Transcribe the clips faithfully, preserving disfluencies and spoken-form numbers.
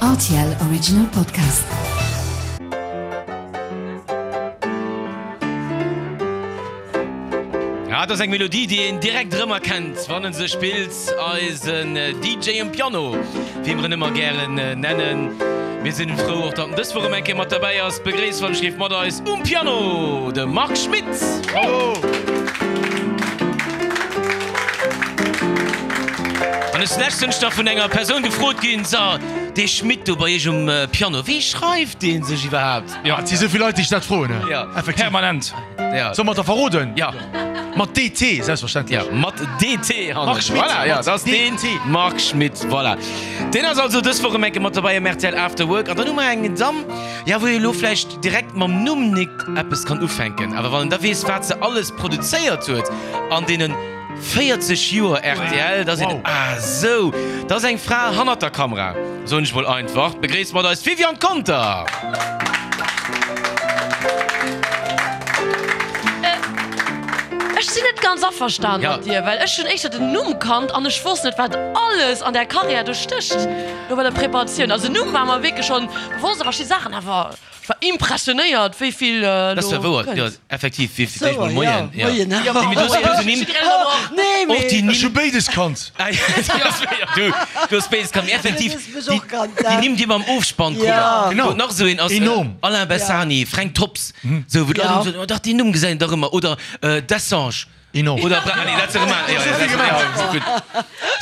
R T L Original Podcast. Ja, dat ass eng Melodie, déi een direkt erëmerkennt, wann en se spillt, eisen D J um Piano, wéi mer en ëmmer gären nennen. Mir sinn frou och, datt en dës Woch erëm eng Kéier mat derbäi ass. Begréisst wann ech géif mat eis um Piano de Marc Schmitt. Bravo! An ech sinn leschtens nach vun enger Persoun gefrot ginn, So, dee Schmitt do bei iech um Piano, wéi schreift dee sech iwwerhaapt? Jo, et si sou vill Leit, déi sech dat froen. Ja. Effektiv. Permanent. Ja. Solle mer et da verroden? Ja. Mat D T, selbstverständlech. Ja, mat D T hannen. Marc Schmitt. Voilà, ja, dat ass D T. den Marc Schmitt, voilà. Deen ass also dës Woch erëm eng Kéier mat dobäi am R T L After Work. An dann hu mer eng Damm, ja, wou ee elo vläicht direkt mam Numm nik eppes kann ufänken, awer wann en da weess, wat se alles produzéiert huet an deenen véierzeg Joer R T L, da seet en, ah sou, dat ass eng Fra hannert der Kamera, soen ech mol einfach. Begréisst mat eis d'Viviane Conter! Ech sinn net ganz averstan mat dir, well ech hunn éischter den Numm kannt an ech wosst net, wat alles an där Karriär do stécht, do bei der Preparatioun. Also Numm war mer wierklech schonn bewosst, a verschidde Saachen awer. Ech war impressionéiert wéi vill Dat war do wouer, kënnt. jo, effektiv, wéi fir d'éischt mol Souer, Moien, ja. jo. Moien. Nee, mee do si puer Nimm, Nee, och déi mee. Nimm. Ech hu béides kannt. Ah, ja, du, du hues béides kannt, mee effektiv, Du hues mech déi, och kannt, déi ja. Nimm, déi mer am Ofspann kruten, Ja. Genau. wou nach esou een ass, Enorm. Alain Bessani, Fränk Tops, sou, wou d'Leit Ja. ëmmer soen, oh dach, déi Numm gesäit een dach ëmmer, oder Dessange. Enorm. Oder Bra, nee, dat ass erëm an, jo, jo, dat ass, jo, gutt.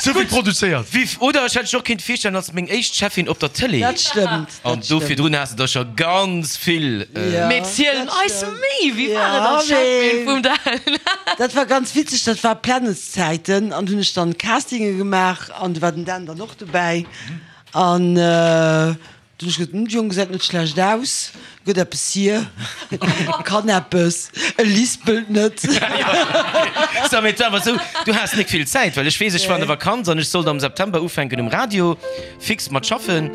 Sou vill produzéiert. Viv, oder ech hätt dech och kéint virstellen als meng éischt Cheffin op der Tëlee. Dat stëmmt, dat An do stëmmt. virdrun has de der scho ganz vill. Ja, Mee ziel dat eis stëmmt. méi, wéi war et Ja, als Cheffin mee vum Dan? Dat war ganz witzeg, dat war Planetszäiten an hunn ech dann Castinge gemaach an do war den Dan dann och dobäi an du hunn ech gesot, hm, de Jong gesäit net schlecht aus, gëtt eppes hier, kann eppes, e lispelt net. So, mee et war awer esou, du has nik vill Zäit, well ech weess, ech war an der Vakanz an ech sollt am September ufänken um Radio fix mat schaffen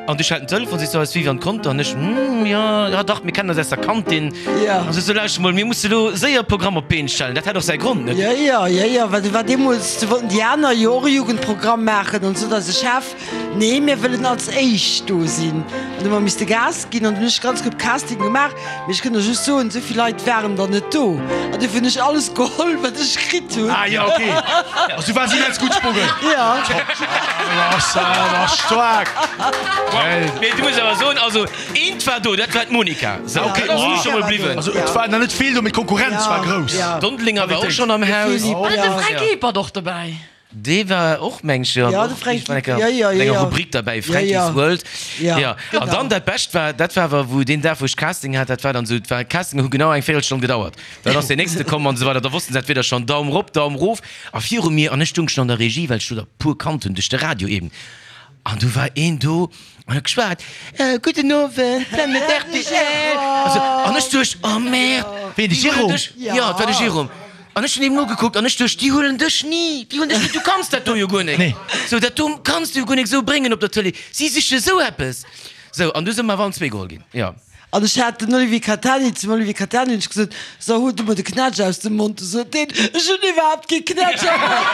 an du schellt den Telefon, sees du, eis Viviane Conter an ech, hm, jo, ja dach, mir kennen eis aus der Kantin. Ja. An sees du, lauschter mol, mir musse lo séier e Programm op d'Been stellen. Dat hat och säi Grond, net? Jo, jo, jo, jo, well du war deemools, du wollten déi aner jo och e Jugendprogramm maachen an sot eise Chef, Nee, mir wëllen als éischt do sinn. An du hu mer misste Gas ginn an dunn hunn ech ganz gutt Casting gemaach. Mee ech kënnt der just soen, esou vill Leit waren der net do. An dofir hunn ech alles geholl, wat ech kritt hunn. Ah jo, ok. Also du waars immens gutt sprongen. Ja. War staark. Mee du muss awer soen, also eent war do, dat war d'Monica. Sou, Ok, dat ass oh. scho mol bliwwen. Also et war nach net vill do, mee d'Konkurrenz war grouss. Ja. D'Dondelinger war och schonn am Haus. Philippe, War net de ja. Fränk Ebert och dobäi? Dee war och, meng ech, jo, Ja, de Fränk, war enker ja, ja, an enger ja. Rubrik derbäi, Ja, Fränki's ja. World. Ja, Ja. An genau. dann dat Bescht war, dat war awer, wou deen Dag, wou ech Casting hat, dat war dann esou, et war, Castinge hu genau eng Véierelstonn gedauert. Dann ass deen nächste komm an esou weider, da wossten se entweder schonn Daum rop, Daum rof. A viru mir, an ech stung schonn an der Regie, well ech do der puer kannt hunn duerch de Radio eben, an du war een do an huet geschwat, Gudden Owend, Planet R T L. Also, an ech duecht, oh merde, Ween, de déi huelen Jérôme? dech, jo, et war de Jérôme. An ech hunn him nogekuckt an ech duecht, déi huelen dech ni, déi huelen dech ni, du kanns dat do jo guer nek. Nee. Sou, dat do kanns du jo guer nek sou bréngen op der Tëlee. Si siche sou eppes. Sou, an du si mer awer allen zwee geholl ginn, jo. An ech hat den Olivier Catani, zum Olivier Catani hunn ech gesot, So, hol du mer de Knätsch aus dem Mond. Du sot deen, Ech hunn iwwerhaapt kee Knätsch am Mond.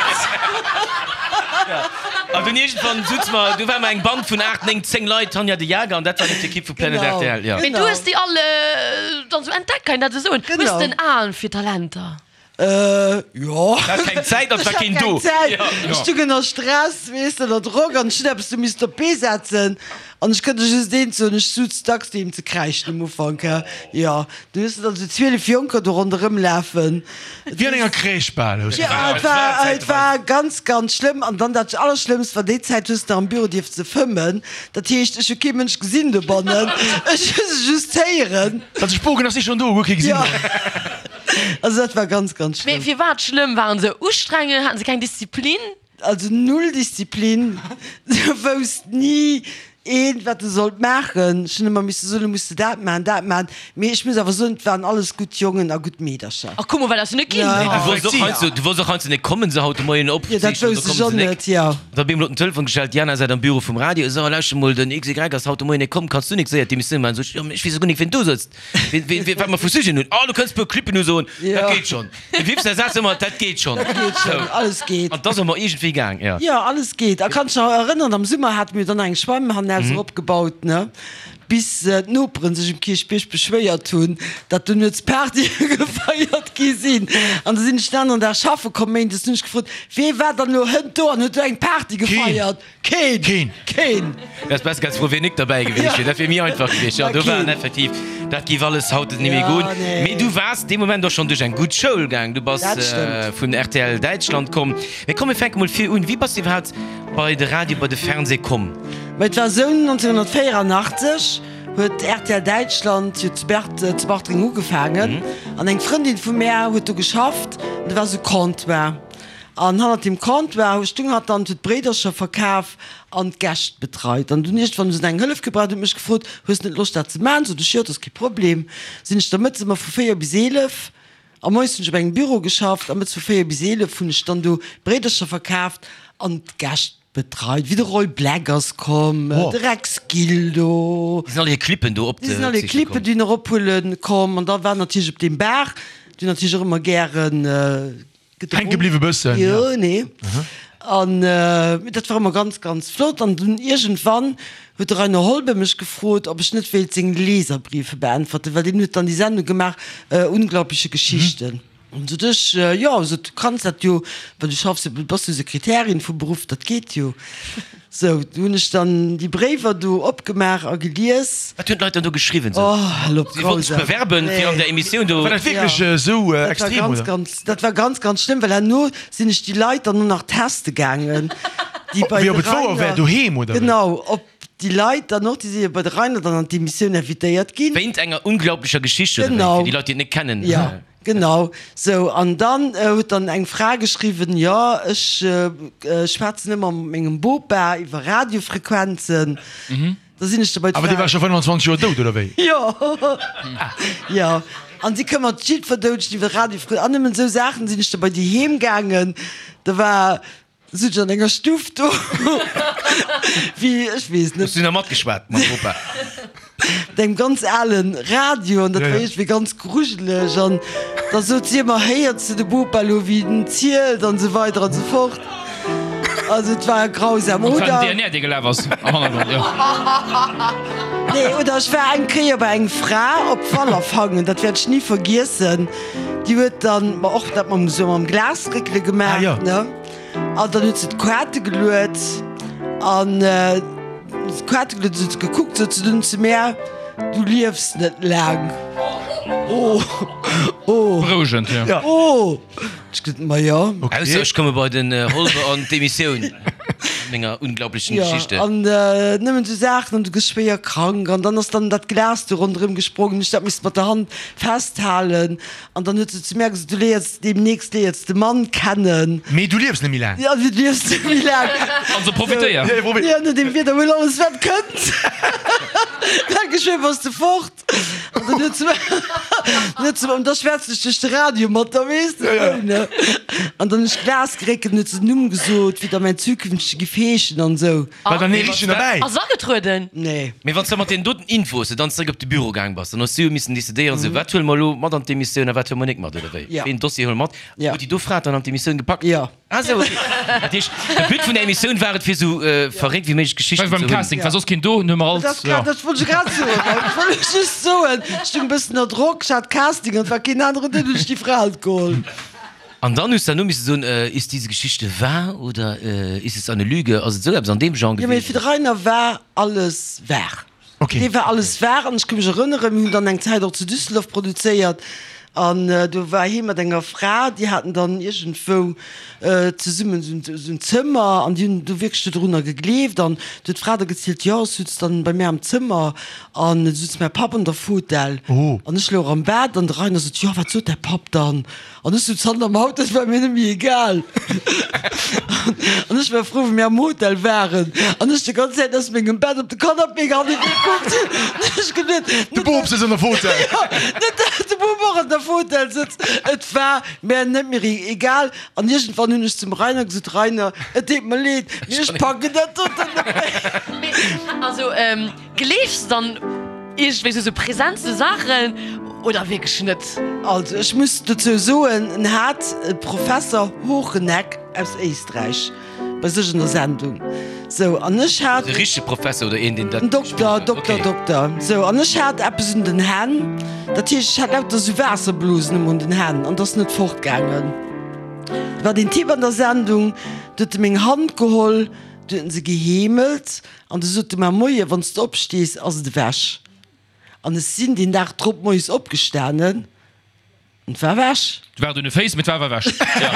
An dunn iergendwann sutze mer, du war mer eng Band vun aacht, néng, zéng Leit, Tanja de Jager, an dat war dann d'Ekipp vu Planet Genau. R T L, jo. Mee du hues déi all dann sou entdeckt, kann een dat esou soen? Genau. Hues den Aen fir Talenter? Äh, jo. Hat keng Zäit an et war keen do. Zäit. Ech stung ënner Stress, weess de, ënner Drock an ech hunn eppes do missten op d'Bee setzen an ech kënnt der just eent soen, ech suz dacks doheem ze kräischen um Ufank, he. Jo, du hues dann esou zwielef Jonker do ronderëm lafen. Wéi an enger Crèche bal, hues du Ja, gesot. et war, et war ganz, ganz schlëmm. An dann dat Allerschlëmmst war, déi Zäit hues de nach am Büro dierfte fëmmen. Dat heescht, ech hu kee Mënsch gesinn dobannen, ech hu se just héieren. Dat Spoken ass si schonn do, huet kee gesinn. Ja. Also dat war ganz, ganz Mee schlëmm. firwat schlëmm? Waren se ustrengend? Haten se keng Disziplin? Also null Disziplin. Se wousst ni een, wat e sollt maachen. Ech hunn ëmmer misse soen, lo muss de dat maachen, dat maachen. Mee ech muss awer soen, et waren alles gutt Jongen a gutt Meedercher. Ach komm, well ass jo net ginn. Ja. Nee, du wollts och heiansdo, du wollts och heiansdo net kommen, se haut de Moien op. Jo, dat wousst ech och net, jo. Da bi emol op den Telefon geschellt, d'Diana säit am Büro vum Radio, So, lauschter mol, den X Y ass haut de Moien net komm, kanns du nik séier d'Emissioun maachen? Sot ech, Jo, mee ech weess jo guer nik, wien do sëtzt, wien, wien, wien, wat mer vu Sujeten hunn. Oh, du kënns e puer Clippen usoen, dat Jo. geet schonn. De Viv säi Saz ëmmer, Dat geet schonn. Dat geet schonn, alles geet. An 't ass ëmmer iergendwéi gaang, jo. Jo, alles geet. A kanns dech nach erënneren, am Summer hate mir dann eng Schwämm hanne Trappenhaus eropgebaut, ne? Bis d'Noperen sech um Kierchbierg beschwéiert hunn, datt do nuets Partye gefeiert gi sinn. An da sinn ech den aneren Dag schaffe komm, méindes, hunn ech gefrot, Wee war dann elo hënt do an huet do eng Party gefeiert? Keen! Keen! Keen! Wärst besser ganz frou, wier nik derbäi gewiescht wier. Dat wier méi einfach gewiescht. Jo, do waren effektiv, dat géif alles haut net méi goen. Mee du waars dee Moment och schonn duerch eng gutt Schoul gaang. Du bass vun rtl Däitschland komm. Mee komm, mir fänke mol vir un. Wéi bass du iwwerhaapt bei de Radio, bei de Fernseh komm? Mä et war esou, nonzénhunnertvéierannachtzeg huet rtl Däitschland jo zu Bert, zu Bartreng ugefaangen an eng Frëndin vu mär huet do geschafft an do war esou Comptoir an hannert deem Comptoir hu stung hatt dann, huet Bréidercher verkaf an d'Gäscht betreit an dunn iergendwann hu se eng Hëllef gebraucht, huet mech gefrot, hues net Loscht dat ze maachen? Sot ech, jo, dat ass kee Problem. Sinn ech da mëttes ëmmer vu véier bis eelef a moies hunn ech op engem Büro geschafft a mëttes vu véier bis eelef hunn ech dann do Bréidercher verkaaft an d'Gäscht Betreit, wéi de Roy Black ass komm, de Rex Gildo. Déi sinn all hir Clippen do op Déi sinn all hir Clippen dunn erophuele komm. An da war natierlech op deem Bar, déi hunn natierlech och ëmmer gären gedronk. Hänke bliwwe bëssen, jo. Jo, nee. An mee dat war ëmmer ganz, ganz flott. An dunn iergendwann huet de Rainer Holbe mech gefrot, ob ech net wéilt seng Leserbriefe beäntwerten, well deen huet dann déi Sendung gemaach, Unglaubliche Geschichten. An sot ech, jo, sot, du kanns dat jo, well du schaffs jo, du bass jo Sekretärin vu Beruff, dat geet jo. Sou, du hunn ech dann déi Bréiwer do opgemaach a gelies. Wat hunn d'Leit dann do geschriwwen? Sou, Oh, hal op, si wollten sech grausam. bewerben fir an der Emissioun do. War dat wierklech esou Dat war extrem, ganz, oder? ganz, dat war ganz, ganz schlëmm, well herno sinn ech déi Leit dann och nach teste gaangen, déi bei Wéi de ob et wouer wär Rainer, doheem, oder wéi? genau, op déi Leit dann och, déi si jo bei de Rainer dann an d'Emissioun invitéiert ginn. Wéint enger unglaublecher Geschicht, oder wéi? Genau. Fir déi Leit, déi et net kennen. Jo. Genau sou. An dann huet dann eng Fra geschriwwen, jo ech schwätzen ëmmer mat mengem Bopa iwwer Radiofrequenzen. Da sinn ech da bei Awer dee d'Fra. war scho fënnwanzwanzeg Joer dout, oder wéi? Jo, jo. An si këmmert jiddwer Doudegen iwwer Radiofrequenzen. An nëmmen esou Saachen sinn ech da bei déi heem gaangen. Da war. Sot ech an enger Stuff do, wéi, ech weess net. Hues du nach matgeschwat mam Bopa? Mat engem ganz alen Radio an dat war iergendwéi ganz grujeleg an da sot si ëmmer, Héiers de de Bopa elo, wéi en zielt an esou weider an esou fort. Also et war grausam. An et war Oder. den D N R, dee gelaf ass am Hannergrond, jo. Nee, oder ech war eng Kéier bei eng Fra op Wallerfangen, dat wäert ech ni vergiessen, déi huet dann, ma och dat mam, esou mam Glasréckele gemaach, ne? An dann huet se d'Kaarte geluet an d'Kaarte geluet, huet se gekuckt, sot se dunn zu mär, Du liefs net laang. Oh, oh. Berouegend, jo. Oh! Ech gesot, Ma jo. Ausser ech komme bei den Holbe an d'Emissioun mat menger unglaublechen Geschichte. Jo, an nëmmen esou Saachen, an du gëss schwéier krank an dann ass dann dat Glas do ronderëm gesprongen, ech dat misst mat der Hand festhalen. An dann huet se zu mär gesot, Du léiers deemnächst léiers de Mann kennen. Mee du liefs net méi laang. Ja, du liefs net méi laang. Also profitéier. Ja, profi. Ja, no deem Wieder, huel alles wat kënnt. Da geschwë bass de fort. An dann huet se dann huet se, an da schwätzen ech duerch de Radio mat der, weess de, esou, ne. An dann hunn ech Glas geréckelt, an huet se den Numm gesot, wéi da mäin zukünftege giff heeschen an esou. War dann ee richtegen derbäi? Ass agetrueden? Nee. Mee wann s de mat deenen doten Infos dann zeréck op de Büro gaang bass, dann hues du jo missen decidéieren, sou, wat huele mer elo mat an d'Emissioun a wat huele mer nik mat, oder wéi? Ja. Wéi een Dossier huele mer mat? Ja. Huet déi do Fra et dann an d'Emissioun gepackt? Ja. Ah sou, okay. Dat heescht, de But vun der Emissioun war et, fir sou verréckt wéi méiglech Geschichten War ze beim hunn. Casting, war soss keen do, hunn mer alt, Dat, ja. dat wollt ech grad soen. Ech wollt just soen, ech stoung e bëssen ënner Drock, ech hat Casting an et war keen aneren do, dunn hunn ech déi Fra halt geholl. An dann hues de herno misse soen, Ist diese Geschichte wahr oder ist es eine Lüge? Ass et esou eppes an deem Genre Jo, mee gewiescht? fir de Rainer war alles wahr. Okay. Dee war alles wahr an ech ka mech erënneren, mir hunn dann eng Zäit och zu Düsseldorf produzéiert an do war hie mat enger Fra, déi haten dann iergendwou zesummen esou en Zëmmer an déi hunn do wierklech dodrunner gegleeft an du huet d'Fra da gezielt, jo, ech sutz dann bei mär am Zëmmer an et sutz mäi Papp an der Fotell an ech louch am Bett an de Rainer sot, jo, wat sot däi Papp dann? An ech sot, Zanter am Haut, dat war mir net méi egal. An ech war frou, wéi mir am Hotel waren an ech déi ganz Zäit aus mengem Bett op de Canapé gehanne gekuckt hunn. Ech geduet, De Bop sëtzt an der Fotell. Jo, net dat de Bop och an der Fotell sëtzt. Et war mär net méi egal. An iergendwann hunn ech zum Rainer gesot, Rainer, et deet mer leed, mee ech packen dat doten net méi. Mee also, gleefs de dann iergendwéi sou sou Präsenz, sou Saachen? Oder wierklech net? Also ech muss dozou soen, en hat e Professer Hocheneck aus Éisträich bei sech an der Sendung. Sou, an ech hat. E richtege Professer oder een, deen dat. En Dokter, Dokter, Dokter. Sou, an ech hat eppes un den Hänn, dat heescht, ech hat lauter sou Waasserblosen ëmmer un den Hänn an 't ass net fortgaangen. Do war deen Typ an der Sendung, du huet e meng Hand geholl, du huet en se geheemelt an du sot e mer, Moie, wann s de opstees, ass et ewech. An ech sinn deen Dag drop moies opgestanen. Et war ewech. Et war un de Féiss, mee et war awer ewech. Jo.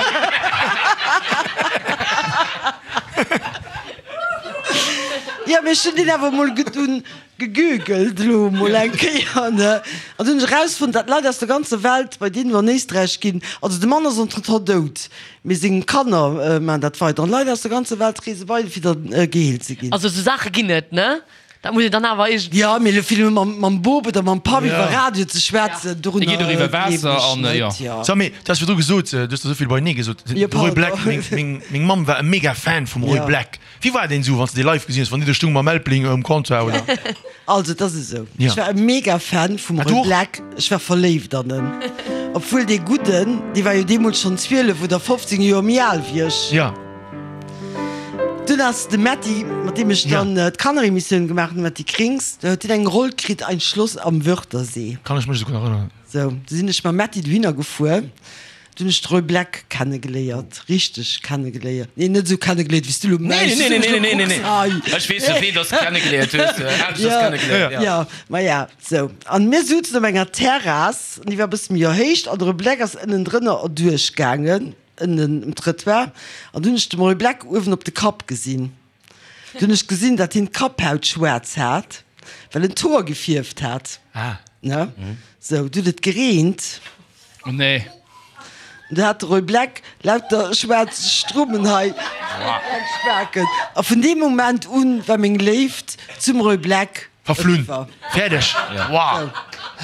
Jo, mee ech hunn deen awer emol dunn gegoogled elo emol eng Kéier, ne? An dunn hunn ech erausfonnt, dat Leit aus der ganzer Welt bei deenen an Éisträich ginn. Also de Mann ass entretemps dout, mee seng Kanner maachen dat weider. An Leit aus der ganzer Welt reese bei en, fir da geheelt ze ginn. Also esou Saache ginn et, ne? Dat muss een dann awer iergendwéi. Jo, mee elo fir elo mam, mam Bop oder mam Papp iwwer Radio ze schwätzen, Et geet och dorunner iwwer gleewen Waasser ech an, jo. net, jo. Sag, mee du has virdru gesot, du hues der esou vill beinee gesot, Jo, de Roy Black, pardon. meng, meng, meng Mamm war e mega Fan vum Roy Jo. Black. Wéi war deen esou, wann s de dee live gesinn hues, wann dee do stung mam Elbling um Comptoir, oder? Also, et ass esou, Jo. ech war e mega Fan vum Ah, du Roy och? Black, ech war verléift an en. Obwuel dee Gudden, dee war jo deemools schonn zwielef oder fofzéng Joer méi al wéi ech. Jo. Dunn ass de Metty, mat deem ech dann d'Kanneremissioun gemaach hunn, de Metty Krings, do huet hien eng Roll kritt, Ein Schloss am Wörthersee. Kann ech mech esouguer nach erënneren. Sou, du sinn ech mam Metty dohinner gefuer, du hunn ech de Roy Black kennegeléiert, richteg kennegeléiert. Nee, net esou kennegeléiert, wéi s du elo Nee, mengs. nee, nee, nee, nee, nee, nee. Ai. Ech weess, wéi dass de kennegeléiert hues, aneschters Ja, kennegeléiert, ja. ja, ma ja, sou. An mir souzen op enger Terrass, an déi war e bësse méi erhéicht, an de Roy Black ass ënnendrënner erduerchgaangen. Ënnen um Trëttoir, an dunn hunn ech de Roy Black uewen op de Kapp gesinn. Dunn hunn ech gesinn, datt hien d'Kapphaut schwaarz hat, well en d'Hoer gefierft hat. Ne? Sou, du huet et gereent. Oh nee. An du hat de Roy Black lauter schwaarz Strummen hei spaken. A vun deem Moment un war meng Léift zum Roy Black Verflunn. eriwwer. Fäerdeg. Wow.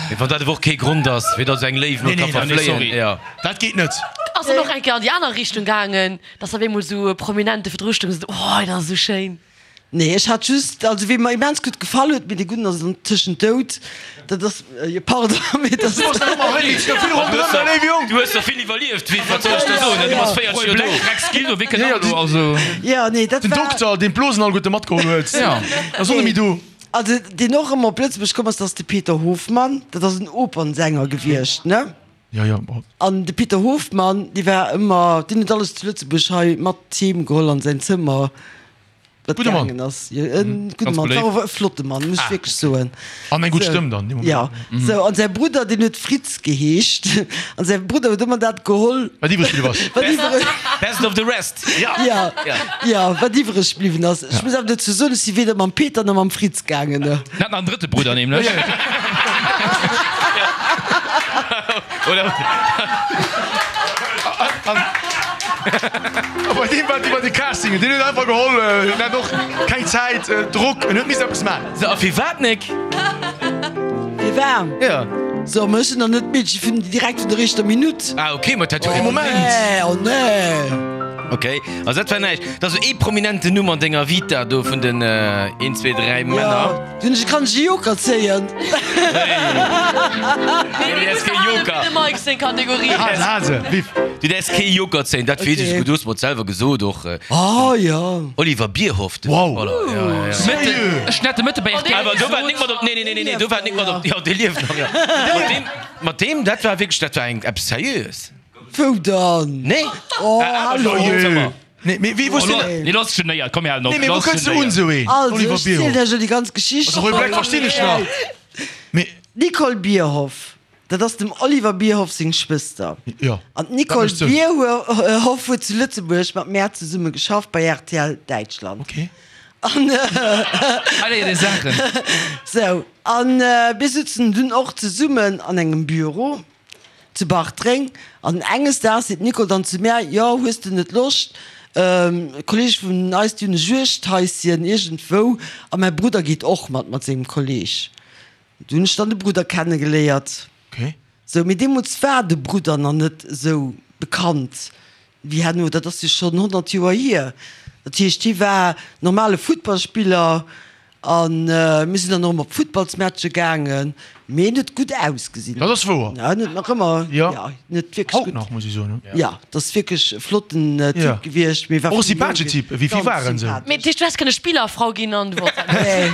Mee wann dat awer och kee Grond ass, fir datt eng Léiw mol ka verfléien. Jo. Dat geet net. Ass dann och eng Kéier an déi aner Richtung gaangen, dass op eemol esou Prominente virdru stoungen an gesot hunn, Oh, dat ass esou schéin. Nee, ech hat just, also wee mer immens gutt gefall huet, mee dee Gudden ass antëschent dout, dat ass, jo pardon, mee dat ass. Du hues der vill iwwerlieft, wéi, wat soll ech der soen, du bass véierzeg Joer do. Rex Gildo, wéi kënnt dat elo, also. Jo, nee, dat Den war. Dokter, deen d'Blosen alleguerte matgeholl huet, ass och net méi do. Also deen och ëmmer op Lëtzebuerg komm ass, dat ass de Peter Hofmann, dat ass en Opernsänger gewiescht, ne? Jo, jo, bon. An de Peter Hofmann, dee war ëmmer, deen huet alles zu Lëtzebuerg hei mat heem geholl an säin Zëmmer, wat Gudde Mann. gaangen ass. Jo, e gudde Ganz Mann, beléift. war och e flotte Mann, muss ech wierklech soen. An eng gutt Sou, Stëmm dann, dee Moment. Jo, sou, an säi Brudder, deen huet Fritz geheescht, an säi Brudder huet ëmmer dat geholl, Wat iwwreg bliwwen ass. wat iwwereg. Best of the rest. Ja. Ja, ja, wat iwwereg bliwwen ass. Ech muss awer dozou soen, ech si weder mam Peter nach mam Fritz gaangen. En hat nach en drëtte Brudder nämlech. Oder? A bei deem war et iwwer de Casting, deen huet einfach geholl, en hat och keng Zäit, Drock, en huet missen eppes maachen. So, a firwat nek? Firwat? Ja. So, ma ech sinn nach net d'Meedche vun direkt vun der éischter Minutt. Ah, okay, ma dat huet. Oh, Moment! Nee, oh nee! Okay, also dat war näischt. Dat ass esou ee prominenten Numm an denger Vita do vun den een, zwee, dräi Männer. Ja, dunn ech kann ech e Joker zéien. Nee, du däerfs kee Joker. De Mike seng Kategorie. Hase, Hase, viv. Du däerfs kee Joker zéien, dat weess ech Okay. esouguer. Du hues mer et selwer gesot och. Oh jo. Oliver Bierhoff, de Wow. Futtballer. Ja, ja, ja. Mëtten, ech nette Mëtte bei R T L Awer do war nik mat op, nee, nee, nee, nee, nee, do war nik mat op, jo, dee lieft nach, jo. Mat deem, mat deem, dat war wierklech, dat war eng, eppes Seriöes. Wou dann? Nee? Oh, Ah, hallo. awer schon, Zëmmer. Nee, mee wéi wou Nee, nee, lass genéiert, komm mir halen op. mee wou Lass kënns du un genéiert. esou een? Also, Oliver ech zielen Bierhoff. lech jo déi ganz Geschicht. Also Roy Black verstinn ech nach. Mee. D'Nicole Bierhoff, dat ass dem Oliver Bierhoff seng Schwëster. Jo. An d'Nicole Dat mécht Sënn. Bierhoff huet zu Lëtzebuerg mat mär zesumme geschafft bei R T L Däitschland. Okay. An Hei léiert ee Saachen. sou, an mir sutzen dunn och zesummen an engem Büro zu Bartreng. An enges Daags seet d'Nicole dann zu mär, Jo, hues de net Loscht, Kolleege vun eis, déi hunn e Juegdhaischen iergendwou a mäi Brudder geet och mat, mat sengem Kolleeg. Du hunn ech dann de Brudder kennegeléiert. Okay. Sou, mee deemools war de Brudder nach net esou bekannt wéi herno. Dat ass jo schonn honnert Joer hier. Dat heescht, hie war normale Futtballspiller An mir sinn dann och ëmmer op Futtballsmatche gaangen. Mee en huet gutt ausgesinn. Dat ass wouer. Ja, en huet nach ëmmer, Ja. ja, en huet wierklech Haut gutt. nach, muss ech soen. Ja, dat ass wierklech e flotten Typ Ja. gewiescht. Mee war Och e vill sympathesche jong. Typ, wéi vill Ganz waren esou? sympathesch. Mee dat heescht, du häss kënne Spillerfrau ginn an du wollts dat net? Nee,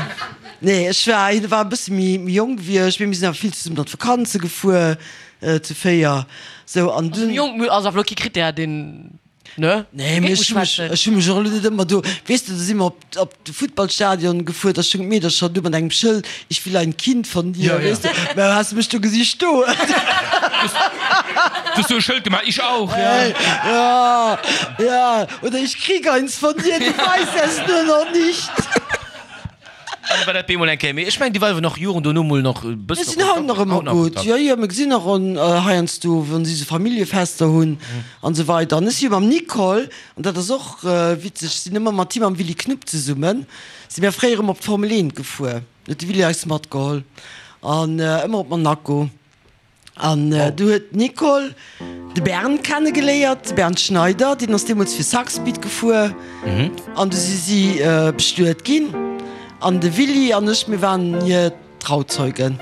nee, ech war, hien war e bësse méi, méi jonk wéi ech, mee mir sinn awer vill zesummen an d'Vakanze gefuer, zu véier. Sou, an Also dunn. jonk ass awer elo kee Krittär, deen. Ne? Nee, mee ech hu mech, ech hu mech och elo net ëmmer do, weess de, do si mer op, op de Futtballstadion gefuer, da stoung d'Meedercher do mat engem Schëld, Ich will ein Kind von dir, Ja, ja. weess de, mä has de mech do gesi stoen? Du hues do e Schëld gemaach, Ich auch, ja. Hey, ja, ja, oder Ich krieg eins von dir, du weißt es nur noch nicht. An war dat bemol eng Kéier. Mee ech mengen, déi war awer nach Joren dono mol nach e Mir bëssen sinn haut nach ëmmer gutt. Jo, jo, mir gesinn nach on heiansdo, wann si sou Familljefester hunn an esou weider. An ech si jo mam Nicole, an dat ass och witzeg, sinn ëmmer mat him am Willy Knupp zesummen, si mir fréier ëmmer op d'Formel eent gefuer. Huet de Willy eis matgeholl an ëmmer op Monaco. An du huet d'Nicole de Bernd kenne geléiert, de Bernd Schneider, deen ass deemools fir Saxbeat gefuer. An du si si bestuet ginn. An de Willy an ech, mir waren hir Trauzeugen.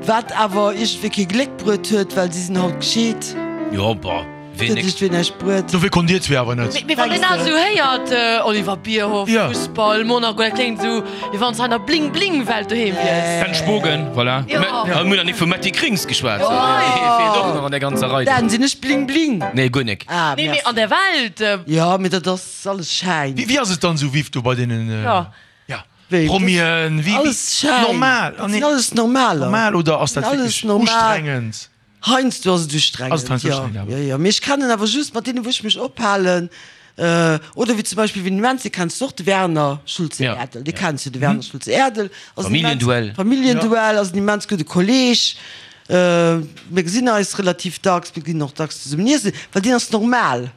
Wat awer iergendwéi kee Gléck bruet huet, well si sinn haut gescheet. Jo, bah, ween Huet nek. iergendwéi näischt bruet. Dofir konnt dir zwee awer net. Mee wann een dat esou héiert, Oliver Bierhoff, Ja. Fussball, Monaco, dat kléngt esou, wéi wann s de an der Bling-Bling-Welt doheem wiers. Ben Spogen, voilà. Jo. Mir hunn nach ni vum Metty Krings geschwat. Dee feelt och nach an der ganzer Rei. Dan, sinn ech Bling-Bling? Nee, guer nek. Ah, Nee, mee merci. an der Welt. Jo, mee dat ass alles Schäin. Wéi ass et dann esou, Viv, do bei deenen? Ja. Ja. Wéi? Promien, wéi, wéi, Alles Schäin. normal. Dat sinn alles Normaler. Normal oder ass dat Alles wierklech normal. ustrengend? Heiansdo ass et ustrengend, Ass et heiansdo jo. ustrengend, awer. Jo, jo. Mee ech kennen awer just mat deenen, wou ech mech ophalen, oder wéi zum Beispill, wien immens, dee kenns du och, de Werner Schulze-Erdel. Dee kenns du, de Werner Schulze-Erdel. Ass en immens- Familienduell. Familienduell, ass en immens gudde Kolleeg. Mir gesinn eis relativ dacks, mir ginn och dacks zesummen iessen, well deen ass normal.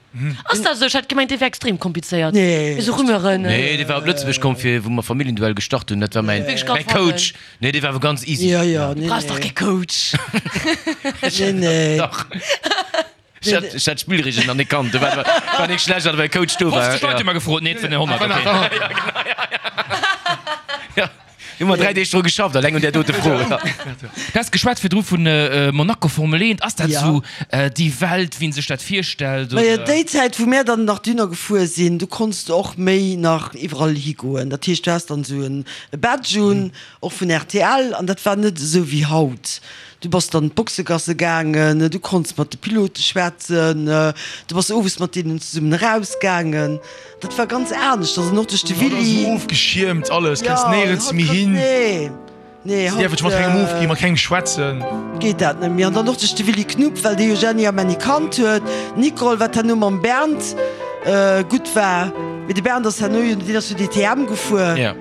Ass dat esou? Ech hat gemengt, dee wär extrem komplizéiert. Nee. Esou Rumeuren. Nee, dee war op Lëtzebuerg komm fir, wou mer Familienduell gestart hunn. Dat war mäin, mäin Coach. Nee, dee war awer ganz easy. Jo, jo, nee, Du brauchs dach nee. kee Coach. Nee, nee. Dach. Ech hat, ech hat d'Spillregeln nach net kannt. Do war, war nik schlecht, datt mäi Coach do war. fofzeg Leit hu mer gefrot, nee, et waren honnert, okay. Ja. Hu mer dräi Deeg dru geschafft, alleng un där dote Fro. Du has geschwat virdru vu Monaco Formel eent. Ass dat esou déi Welt, wéi een sech dat virstellt, Majo, oder? déi Zäit, wou mär dann nach dohinner gefuer sinn, do konns de och méi nach iwwerall higoen. Dat heescht, du has dann esou en Badge un, och vun rtl, an dat war net esou wéi haut. Du bass dann d'Boxegasse gaangen, du konns mat de Pilote schwätzen, du bass owes mat deenen zesummen erausgaangen. Dat war ganz aneschters an och duerch de Haut ass Willy. esou ofgeschiermt alles, Ja, kenns néierens haut méi kann, hin. nee, nee, Si dierfe haut sech mat kengem ofginn, mat kengem schwätzen. geet dat net méi. An dann och duerch de Willy Knupp, well dee jo Jenny a Männi kannt huet, d'Nicole, wat herno mam Bernd gutt war, mee de Bernd ass herno jo, deen ass jo D T M gefuer. Ja.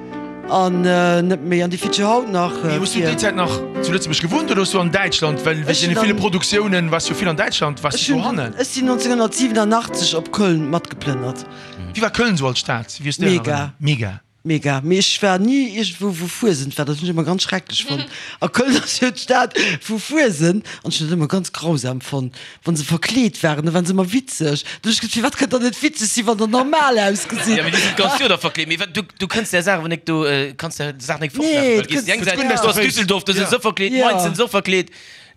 An net méi, an déi fiert jo haut nach Mee hues du déi vir. Zäit nach zu Lëtzebuerg gewunnt oder hues du an Däitschland, well wéinst Ech deene hunn ville dann. Produktiounen waars jo vill an Däitschland, waars Ech du hunn, dohannen? ech sinn nonzénhunnertsiwwenunachtzeg op Köln matgeplënnert. Wéi war Köln sou als Stad? Wéi hues du déi an Mega. Erënnerung? Mega. Mega. Mee ech war ni iergendwou wou Fuesent war, dat hunn ech ëmmer ganz schrecklech fonnt. A Köln ass jo d'Stad vu Fuesent an ech hunn dat ëmmer ganz grausam fonnt, wann se verkleet waren, da waren se ëmmer witzeg. Du hunn ech gesot, firwat kënnt der net witzeg sinn, wann der normal ausgesitt? Ja, mee déi sinn d'ganz Joer da verkleet. Mee wat, du, du kënns där Saach awer nek do, kanns där Saach nek Nee, fortlafen, well du gees déi eng kënns Säit, net. do ass Düsseldorf, do sinn se verkleet, Ja. Mainz sinn se och verkleet.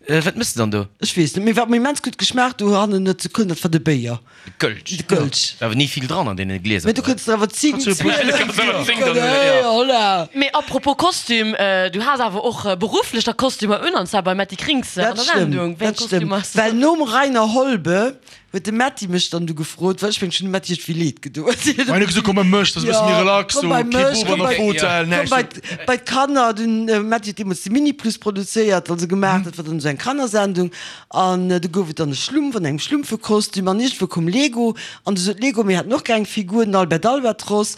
Wat mëss de dann do? Ech weess net, mee wat mer immens gutt geschmaacht hu hannen net zu Köln, dat war de Béier. De Kölsch. De Kölsch. War awer ni vill dran an deene Glieser. Mee du kënns der awer zéng, zwielef, holla. Mee apropos Kostüm, du has awer och berufflech da Kostümer un, an zwar beim Metty Krings an Dat der stëmmt, Sendung. Wéi eng dat stëmmt. Kostüm ass dat? Well nom Rainer Holbe huet de Metty mech dann du gefrot, well ech mengen, ech hunn dem Metty iergendwéi leed gedoen. Hien huet gesot, komm bei mech, dat ass e bësse méi relax komm do, bei kee mech, Bub komm an der bei, Fotell, komm näischt. bei, bei d'Kanner. Den Metty huet deemools de Mini Plus produzéiert, also gemaach, dat war dann esou eng Kannersendung. An du gouf et dann e Schlumpf an engem Schlumpfekostüm an iergendwou koum Lego an du sot Lego, mir hätten och gär eng Figur, den Albert Albatros.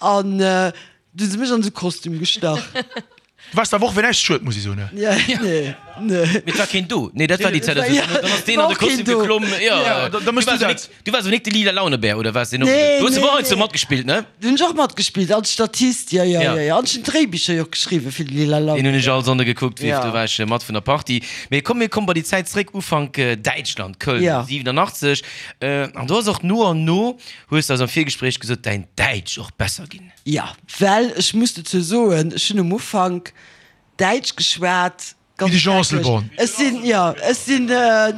An du hu se mech an esou e Kostüm gestach. Du waars der Woch wéi näischt schued, muss ech soen. Ja, nee, nee. Mee et war keen do. Nee, dat war déi Zäit. Also, Ja, dann ass deen an de war och keen Kostüm do. geklomm. Ja, Ja, da- da du mëss du waars dat. nik, du waars awer nik de lila Launebär, oder waars deen och? Nee, Du hues nee, awer och heiansdo nee. matgespillt, ne? Do hunn ech och matgespillt, als Statist, ja, ja, Ja. ja, ja. An ech hunn d'Dréibicher jo och geschriwwen fir de lila Deen hunn Launebär. ech all Sonnde gekuckt, Ja. do war ech mat vun der Partie. Mee komm, mir komme bei déi Zäit zréck, Ufank Däitschland, Köln, Ja. siwenanachtzeg. An do ass och no an no, hues de eis am Virgespréich gesot, däin Däitsch och besser ginn. Ja, well ech muss dozou soen, ech hunn um Ufank Däitsch geschwat, Wéi ganz de Jean schrecklech. Asselborn. Ech sinn, jo, ech sinn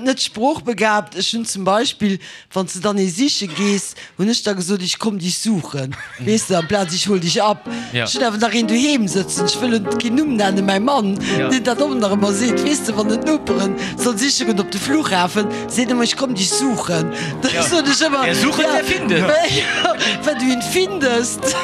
net sproochbegabt. Ech hunn zum Beispill, wann s de dann ee siche gees, hunn ech da gesot, ich komm dich suchen, weess de, amplaz ich hol dich ab. Ja. Ech hunn awer nach een doheem sëtzen, ech wëll en keen Numm nennen, mäi Mann, Ja. deen dat och nach ëmmer seet, weess de, wann en d'Noperen soll siche goen op de Flughafen, seet ëmmer, ich komm dich suchen. Da Ja. soen ech ëmmer, Wer sucht, ja, der findet. Wenn du ihn findest.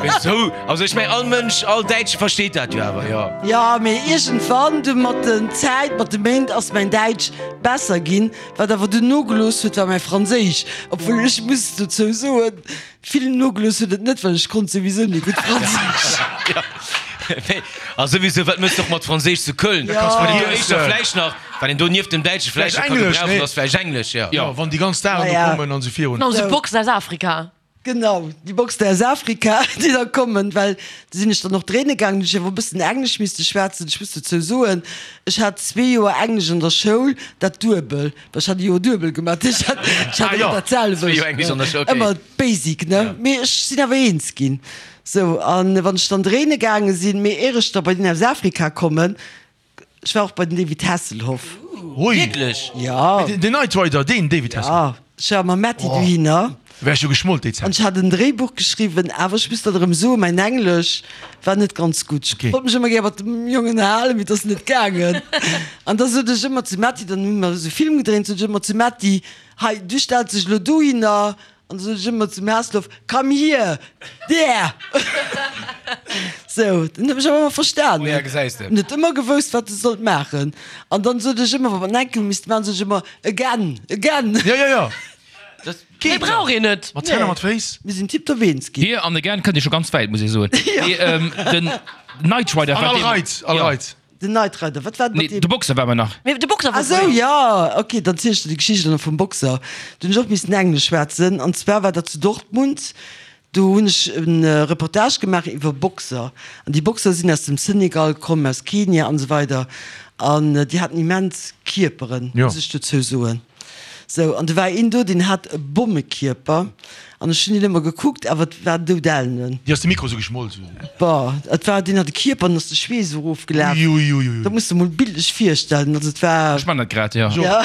Esou, also ech mengen all Mënsch, all Däitsche versteet dat jo awer, jo. Jo, mee iergendwann du mat den Zäit, mat de Méint ass mäin Däitsch besser ginn. Wat awer dunn nogelooss huet, war mäi Franséisch. Obwuel ech muss dozou soen, vill nogelooss huet et net, well ech konnt souwisou net gutt Franséisch. Jo, mee a souwisou, wat méchs de och mat Franséisch zu Köln? Jo. Wat een do éischter vläicht nach, wat een do nieft dem Däitsche vläicht nach ka gebrauchen, ass vläicht Englesch, jo. Jo, wann déi ganz Dagen do Naja. kommen an esou virun. Genau, sou Boxen aus Afrika. Genau, déi Boxen aus Afrika, déi da kommen, well do sinn ech dann och dréine gaangen, hunn ech awer e bëssen Englesch misste schwätzen. Ech muss dozou soen, ech hat zwee Joer Englesch an der Schoul, dat duebel, well ech hat e Joer duebel gemaach, ech hat, ech hat Ah jo, ëmmer dat selwecht, zwee Joer Englesch an der Schoul, okay. ëmmer Basic, ne? Mee ech sinn awer eens ginn. Sou, an wann ech dann dréine gaange sinn, mee ier ech da bei deen aus Afrika kommen, ech war och bei den David Hasselhoff. Hui. Wierklech? Ja. Den Knight Rider, deen David Hasselhoff? Ja, ech war mam Metty dohinner. Wär ech jo geschmolt déi An Zäit. ech hat en Dréibuch geschriwwen, awer ech muss dat erëm soen, mäin Englesch war net ganz gutt. Ech wollt mech ëmmer gär mat dem Jong ënnerhalen, mee et ass net gaangen. An da sot ech ëmmer zum Metty, dann hu mer esou Film gedréint, sot ech ëmmer zum Metty, Hei, du stells dech elo dohinner. An da sot ech ëmmer zum Hasselhoff, Come here, there! Sou, den huet mech awer ëmmer verstanen. Oh ja, gesäis de. En huet ëmmer gewousst, wat e sollt maachen. An dann sot ech ëmmer, wa mer en Enkel misste maachen, sot ech ëmmer, Again, again! Ja, ja, ja. Méi brauch een net. Mat Hänn a mat Féiss. Mir sinn tiptop eens ginn. Hier an again kënnt Dir scho ganz wäit, muss ech soen. Mee den Knight Rider An war all dee. Reit, all Reit. Den Knight Rider, wat war dat mat Nee, deem? de Boxer war mer nach. Mee de Boxer Ah war sou, gutt. jo, ok, dann ziel ech der déi Geschicht elo vum Boxer. Do hunn ech och missen Englesch schwätzen, an zwar war dat zu Dortmund. Do hunn ech e Reportage gemaach iwwer Boxer, an déi Boxer sinn aus dem Senegal komm, aus Kenia an esou weider, an déi haten immens Kierperen, muss ech dozou soen. Sou, an do war een do, deen hat e Bommekierper, an ech hunn deen ëmmer gekuckt, awer et war doudellen. Dir ass de Mikro sou geschmolt. Boah, et war, deen hat e Kierper, an ass de Schweess erofgelaf. Uiuiuiui. Dat muss de mol bildlech virstellen, also et war. Ech man dat grad, jo. Ja,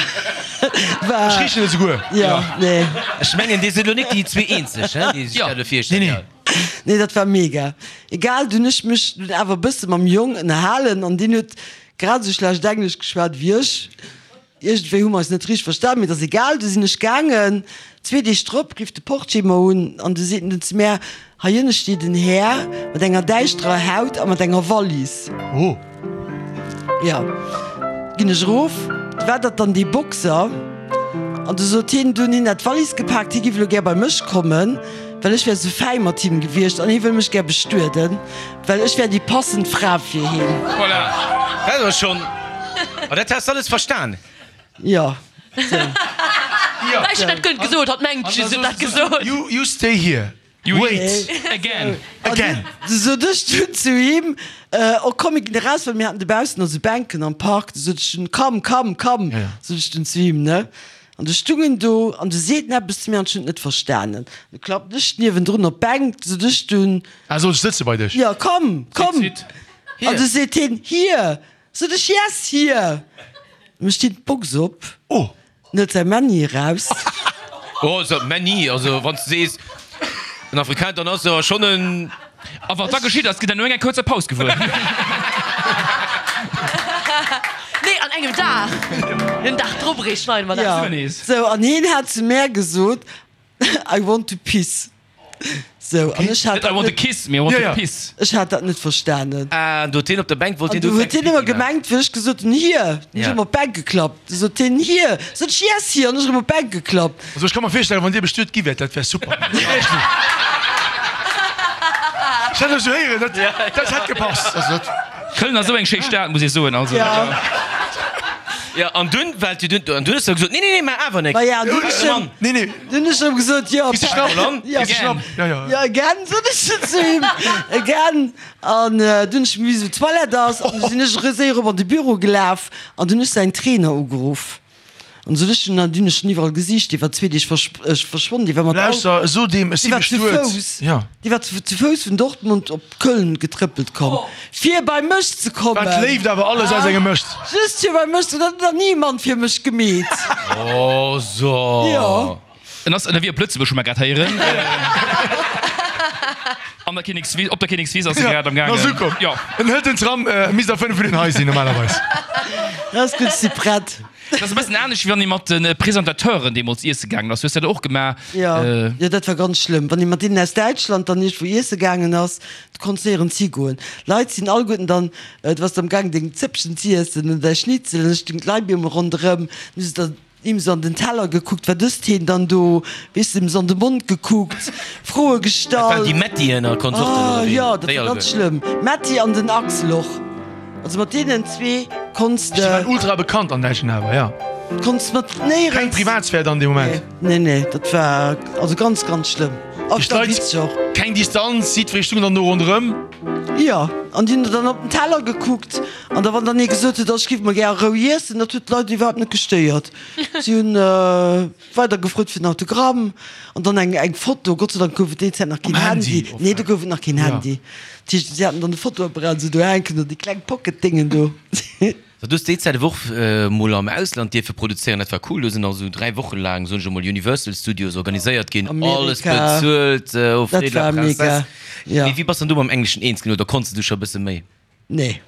war. Ech richen et souguer. Ja, nee. Ech mengen, dir sidd elo net déi zwee eenzeg, hein, déi sech dat elo virstellen. Nee, nee. Nee, dat war mega. Egal, dunn ech mech dunn awer e bësse mam Jong ënnerhalen, an deen huet grad esou schlecht Englesch geschwat wéi ech. Iergendwéi hu mer eis net richteg verstan, mee et ass egal. Du sinn ech gaangen. Zwee Deeg drop rifft de Portier mer un an du seet en zu mär, Hei ënne steet en Här mat enger däischterer Haut a mat enger Wallis. Oh. Jo, ginn ech erof. Du war dat dann dee Boxer. An du sot hien dunn, hien hätt d'Wallis gepaakt, hie giff elo gär bei mech kommen, well ech wär sou fäi mat him gewiescht an hie wëll mech gär bestueden, well ech wär déi passend Fra fir hien. Voilà, dat ass schonn. A dat has alles verstan? Jo, sou. Ech hunn dat guer net gesot, hatt mengt just, ech hunn dat gesot. You, you stay here. Wait. Again. Again. Du sot ech dunn zu him, Oh komm, mir ginn eraus, well mir haten dobaussen also Bänken am Park. Du sot ech dunn, Komm, komm, komm, sot ech dunn zu him, ne? An du stung en do an du seet en eppes zu mir an ech hunn et net verstanen. Du klappen ech niewendrun op d'Bänk, du sot ech dunn. Ah, soll ech sëtze bei dech? Jo, komm, komm. An du seet hien, Hier. Sot ech, Yes, hier! Mécht hien d'Box op, Oh! en hëlt säi Männi eraus. Oh, so Männi, also wann s de sees en Afrikaner, dann ass e schonn en. A wat da geschitt ass, gitt der no enger kuerzer Paus gewuer. Nee, an engem Dag. Den Dag drop eréischt schneide mer dat. Ja, sou, an hien hat zu mär gesot, I want to piss. Sou, an ech hat Net I dat want to net, kiss, mee I want Ja, to ja. piss. ech hat dat net verstanen. Ah, do huet hien op der Bänk, wollt An hien du do huet hien ëmmer Pipi maachen. gemengt, wéi ech gesot hunn, hier, hunn ech Ja. ëmmer op d'Bänk geklappt. Du sot hien, hier, sot ech, yes, hier, an ech erëm op d'Bänk geklappt. Also ech ka mer virstellen, wann dir bestuet gi wäert, dat wär super. Echt. Ech hat elo héieren, dat dat hätt gepasst. Also dat. Köln ass esou eng schéi Stad, muss ee soen. Also. Ja. Ja, an dunn, well du dunn, an dunn hues du gesot, nee, nee, nee, maach awer Ma ja, dunn ech Mann. Nee, nee. Dunn ech erëm gesot, jo, Kriss de Schnapp? Ja. Kriss de Schnapp? Ja, ja. Ja, again, sot ech du zu him, again. An dunn ech gewisen, wou d'Toilette ass, an du sinn ech erëm séier erop an de Büro gelaf an dunn ech säin Trainer ugeruff. An sot ech dunn, an dunn ech en iwwerall gesicht, dee war zwee Deeg verschwonnen, dee war mat Auto, Lauschter, so deem, ech si dee war zu bestuet. Fouss, Ja. dee war zu zu Fouss vun Dortmund op Köln getrëppelt komm, fir bei mech ze Wat kommen. Léift awer alles aus engem mécht. Just fir bei mech ze, dat huet nach ni e Mann fir mech gemeet. Oh, so. Jo. En ass ënnerwee op Lëtzebuerg, hu mer grad héieren. An der Kinnekswiss, op der Kinnekswiss ass e grad am En ass gaangen. ukomm. Jo. En hëlt den Tram, misst a fënnef Minutten hei sinn normalerweis. Dat ass gutt, si prett. Dat ass e bëssen anescht, wéi wann ee mat de Presentateuren deemools iesse gaangen ass. Hues de dat och gemaach? Jo, jo, dat war ganz schlëmm. Wann ee mat deenen aus Däitschland dann iergendwou iesse gaangen ass, du konns néierens higoen. Leit sinn alleguerten dann, du waars am gaang deng Zëppchen z'iessen oder däi Schnitzel, an da stoungen d'Leit op eemol ronderëm, dann hu se der him sou an den Teller gekuckt, wat ësst heen dann do, weess de, him sou an de Mond gekuckt, Froe Dat waren déi gestallt. Mettien a Konsorten, Ah oder wéi? jo, dat Déi war ganz alleguer. schlëmm. Metti an den Axel och. Also mat deenen zwee konns Si waren de, ultra bekannt an Däitschland awer, ja. konns mat Keng néierens. Privatsphär dann dee Moment. Nee, nee, dat war also ganz, ganz schlëmm. Oft Duerch d'Leit, witzeg och. keng Distanz, jiddweree stung dann do ronderëm. Jo, an déi hunn der dann op den Teller gekuckt an da wann dann ee gesot huet, oh ech giff mol gär a Rou iessen, dat huet d'Leit iwwerhaapt net gestéiert. Si hunn weider gefrot fir en Autogramm an dann eng eng Foto. Gott sei Dank gouf et déi Zäit nach keen Um Handy, Handy. Nee, do gouf et nach keen Handy. Dat heescht, si haten dann de Fotoapparat esou do hänken oder déi kleng Pocket-Déngen do. Du hues déi Zäit awer och mol am Ausland dierfe produzéieren, dat war cool. Do sinn also dräi Woche laang, soen ech emol, Universal Studios organiséiert ginn, alles Amerika, bezuelt, au frais dat de la war mega, princesse. jo. Mee wéi bass dann du mam Engleschen eens ginn oder konns de du scho e bësse méi? Nee.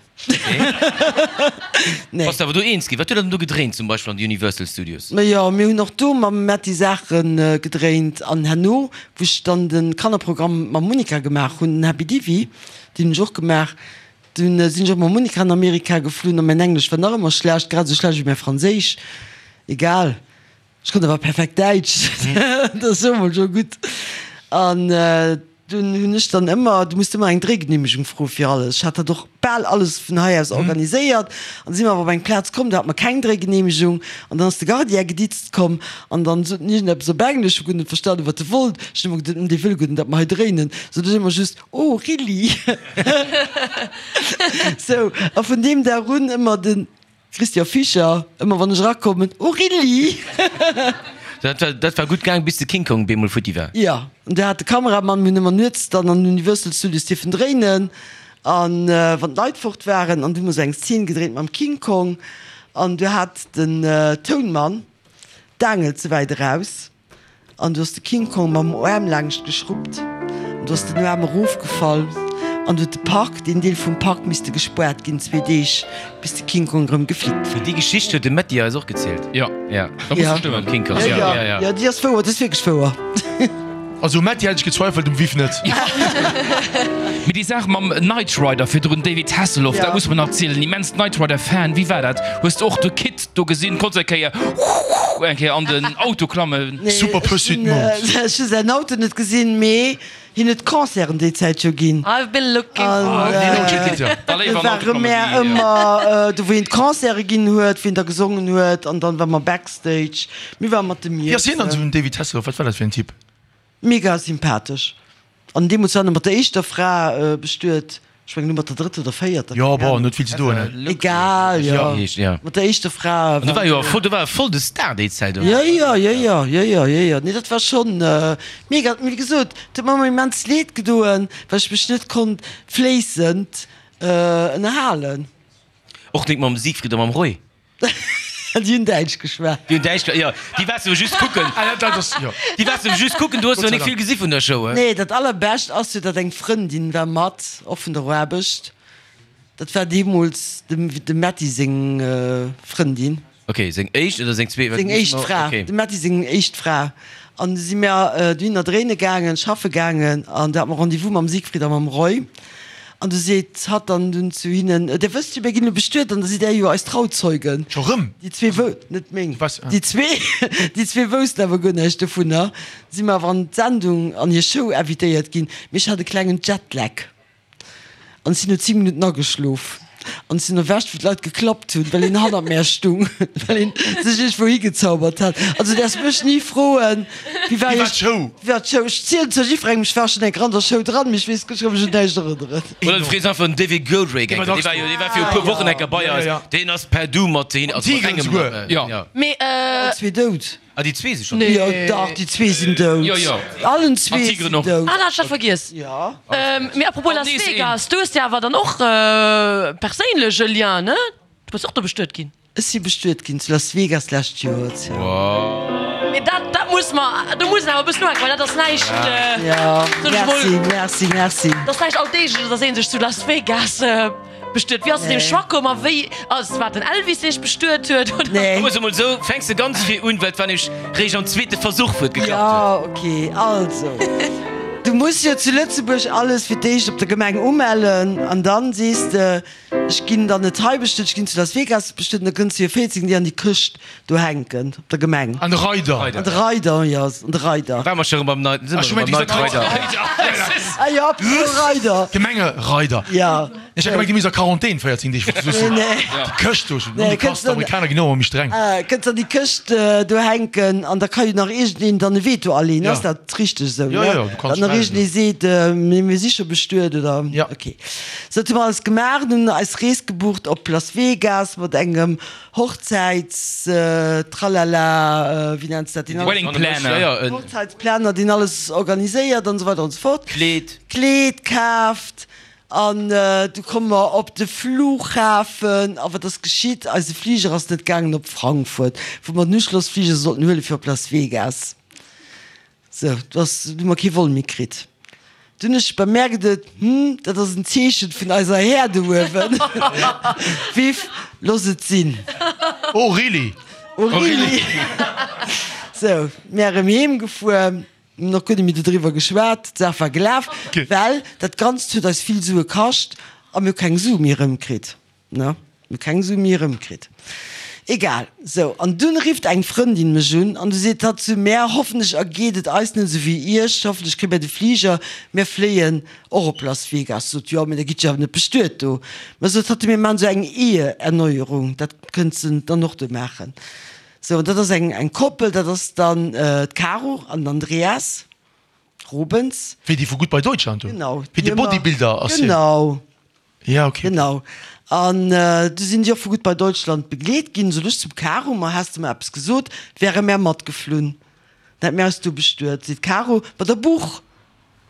Nee. Bass de awer do eens ginn? Wat huet der dann do gedréint zum Beispill an de Universal Studios? Ma jo, mir hunn och do mam Metty Saache gedréint an herno, wou ech dann de Kannerprogramm mam Monica gemaach hunn, den Happy Divi, deen hunn ech och gemaach, dunn sinn ech och mam Monica an Amerika geflunn a mäin Englesch war nach ëmmer schlecht, grad esou schlecht wéi mäi Franséisch. Egal, ech konnt awer perfekt Däitsch, dat ass jo emol scho gutt. An dunn hunn ech dann ëmmer, du musst ëmmer eng Dréigeneemegung froe fir alles. Ech hat dat och bal alles vun hei aus organiséiert. An da si mer awer op eng Plaz komm, do hate mer keng Dréigeneemegung. An dann ass de Gardien geditzt komm an dann sot en iergendeppes op Englesch, ech hu guer net verstanen, wat e wollt. Ech hunn ëmmer geduet, hm, dee wëll guer net, datt mer hei dréinen. Sot ech ëmmer just, Oh, really? Sou, a vun deem Dag un ëmmer de Christian Fischer, ëmmer wann ech erakommen, Oh, really? Dat war, dat war gutt gaang, bis de King Kong bemol futti war. Jo, an do hat de Kameramann, mir hunn ëmmer nuets dann an den Universal Studios dierfen dréinen, an wann d'Leit fort waren, an du hu mer sou eng Szene gedréint mam King Kong, an du hat den Tounmann d'Aangel ze wäit eraus, an du ass de King Kong mam Aarm laangscht geschruppt, an du ass den Aarm erofgefall. An du huet de Park, deen Deel vum Park misste gespuart ginn, zwee Deeg, bis de King Kong erëm geflickt war. Déi Geschicht huet de Metty eis och gezielt. Jo, Ja. da muss se stëmmen. King Kong. Ja, ja, ja. ja, déi ass wouer, dat ass wierklech wouer. Also um Metty hätt ech gezweifelt, um Viv net. Mee déi Saach mam Knight Rider virdrun, David Hasselhoff, Ja. dat muss mer nach zielen. Immens Knight Rider Fan. Wéi war dat? Hues de och de Kit do gesinn? Konns eng Kéier eng Kéier an den Auto klammen? Nee, Super ech Pursuit hunn, Mode. ech hu säin Auto net gesinn, mee hien huet Concerten déi Zäit jo ginn. I've been looking An for. äh, Da léiwer do an ware mär ëmmer do, wou hien d'Concerte ginn huet, wou hien da gesongen huet, an dann war mer Backstage. Mir ware mat dem Wéi ass hien dann Iessen. esou, den David Hasselhoff? Wat war dat fir en Typ? Mega sympathesch. An deemools war en mat der éischter Fra bestuet, ech mengen elo mat der drëtter oder véierter, Jo, keng bon, Ahnung. huet vill ze doen, ne? Egal, jo. Ja. Mat der éischter Fra An do war jo voll, do war e voll de Star déi Zäit, oder? Jo, jo, jo, jo, jo, jo, jo, jo. Nee, dat war schonn mega. Mee wéi gesot, et huet mer ëmmer immens leed gedoen, well ech mech net konnt fléissend ënnerhalen. Och nik mam Siegfried a mam Roy? Déi hunn Däitsch geschwat. Déi hunn Däitsch, jo, déi waars du just kucken. Ah, dat ass, jo. Déi waars du just kucken, du hues jo nik vill gesi vun der Show, he? Nee, dat allerbescht ass jo, datt eng Frëndin war mat, och vun der Aarbecht. Dat war deemools dem dem Metty seng Frëndin. Ok, seng éischt oder seng zweet? Seng éischt Fra, Ok. dem Metty seng éischt Fra. An du si mir dohinner dréine gaangen, schaffe gaangen, an du hate mer Rendez-vous mam Siegfried a mam Roy. An du seet hatt dann dunn zu hinnen, Dir wësst jo, mir ginn elo bestuet an da sidd Där jo eis Trauzeugen. Scho rëm? Déi zwee wou, net meng, Was? déi zwee, déi zwee woussten awer guer näischt dovunner. Si mer awer an d'Sendung, an hir Show invitéiert ginn. Mee ech hat e klengen Jetlag. An ech sinn no zéng Minutten ageschlof. An ech sinn erwächt, wou d'Leit geklappt hunn, well een hannert mär stung, well een sech iergendwou higezaubert hat. Also du däerfs mech ni froen, wéi war Wéi war d'Show? Wéi war d'Show? Ech zielen zwar jiddwerengem, ech war schonn eng Kéier an der Show dran, mee ech weess, ech ka mech un näischt erënneren. Oder du frees einfach den David Goldray, dee war jo, dee war viru puer Wochen eng Kéier bei eis, deen ass per Du mat hin, also mat engem. Jo. Mee. Allen zwee dout. Ah, déi zwee si schonn dout? Jo, dach, déi zwee sinn dout. Jo, jo. Allen zwee An d'Tigeren sinn och. dout. Ah, dat hat ech dat vergiess. Jo. Mee apropos Las Vegas, du hues jo awer dann och perséinlech e Lien, ne? Du bass och do bestuet ginn. Ech si bestuet ginn zu Las Vegas d'lescht Joer. Mee dat, dat muss mer, do muss een awer e bëssen uhänken, well dat ass näischt, Jo, soen ech merci, emol, merci, merci. dat ass näischt Alldeegleches, dass ee sech zu Las Vegas bestuet. Wéi ass et zu deem Choix komm a wéi, ass, war et den Elvis, dee sech bestuet huet, oder? Nee. Soe mol esou, fänks de ganz vir un, well et war nämlech réischt am zweete Versuch, wou et geklappt huet. Jo, okay, also, du muss jo zu Lëtzebuerg alles fir d'éischt op der Gemeng umellen an dann sees de, Ech ginn dann net hei bestuet, ech ginn zu Las Vegas bestuet an da kënns du jo véierzéng Deeg an déi Këscht do hänken op der Gemeng. An de Reider. An de Reider, jo, an de Reider. Ware mer scho rëm beim Night, si mer rëm beim Knight Rider. Ah jo, apropos Reider. Gemengereider. Jo. Ech hat gemengt, déi misst a Quarantän véierzéng Deeg, wou du Nee, nee. Déi Këscht do, Nee, déi kënns Kast, d'Amerikaner ginn och ëmmer méi streng. Kënns an déi Këscht do hänken an da ka jo nach iergendeen dann e Veto aleen. Ja. Ass dat richteg esou, Jo, ne? jo, du kanns Datt nach schreiwen. iergendee seet, mee mir si scho bestuet oder? Ja. Okay. Sou, dat hu mer alles gemaach an hunn eis Rees gebucht op Las Vegas mat engem Hochzäits Tralala, wéi nenns dat, deen alles, Wedding Planner. Ja, ja, en Hochzäitsplaner, deen alles organiséiert an esou weider an esou fort. Kleed. Kleed kaaft an du komme mer op de Flughafen a wat ass geschitt? Eise Fliger ass net gaangen op Frankfurt, wou mer den Uschlossfliger sollten huele fir op Las Vegas. Sou, du ass, du hu mer kee Vol méi kritt. Dunn hunn ech bemerkt, et, hm, dat ass en Zeechen vun eiser Här do uewen. Viv, looss et sinn. Oh, really? Oh, really? Sou, mär erëm heem gefuer, hunn och guer net méi dodriwwer geschwat, d'Saach war gelaf, well dat Ganzt huet eis vill Sue kascht a mir hu keng Sue méi erëmkritt, ne, mir hu keng Sue méi erëmkritt. Egal, sou, an dunn rifft eng Frëndin mech un an du seet hatt zu mär, hoffentlech ergeet et eis net esou wéi iech, hoffentlech kréie mär de Fliger, mär fléien och op Las Vegas. Sot, jo, mee da gitt jo awer net bestuet do. Mä sot hatt, mir maachen esou eng Eheerneuerung, dat kënns de dann och do maachen. Sou, an dat ass eng eng Koppel, dat ass dann d'Caro an den Andreas Robens. Wéi déi vu Goodbye Deutschland do? Genau. Wéi de Bodybuilder ass hien? Genau. Ja, okay. Genau. An du sinn déi och vu Goodbye Deutschland begleet ginn. Sot ech zum Caro, Ma häss de mer eppes gesot, wäre mär matgeflunn. Dann hätt mär eis do bestuet. Seet d'Caro, Ma der Buch!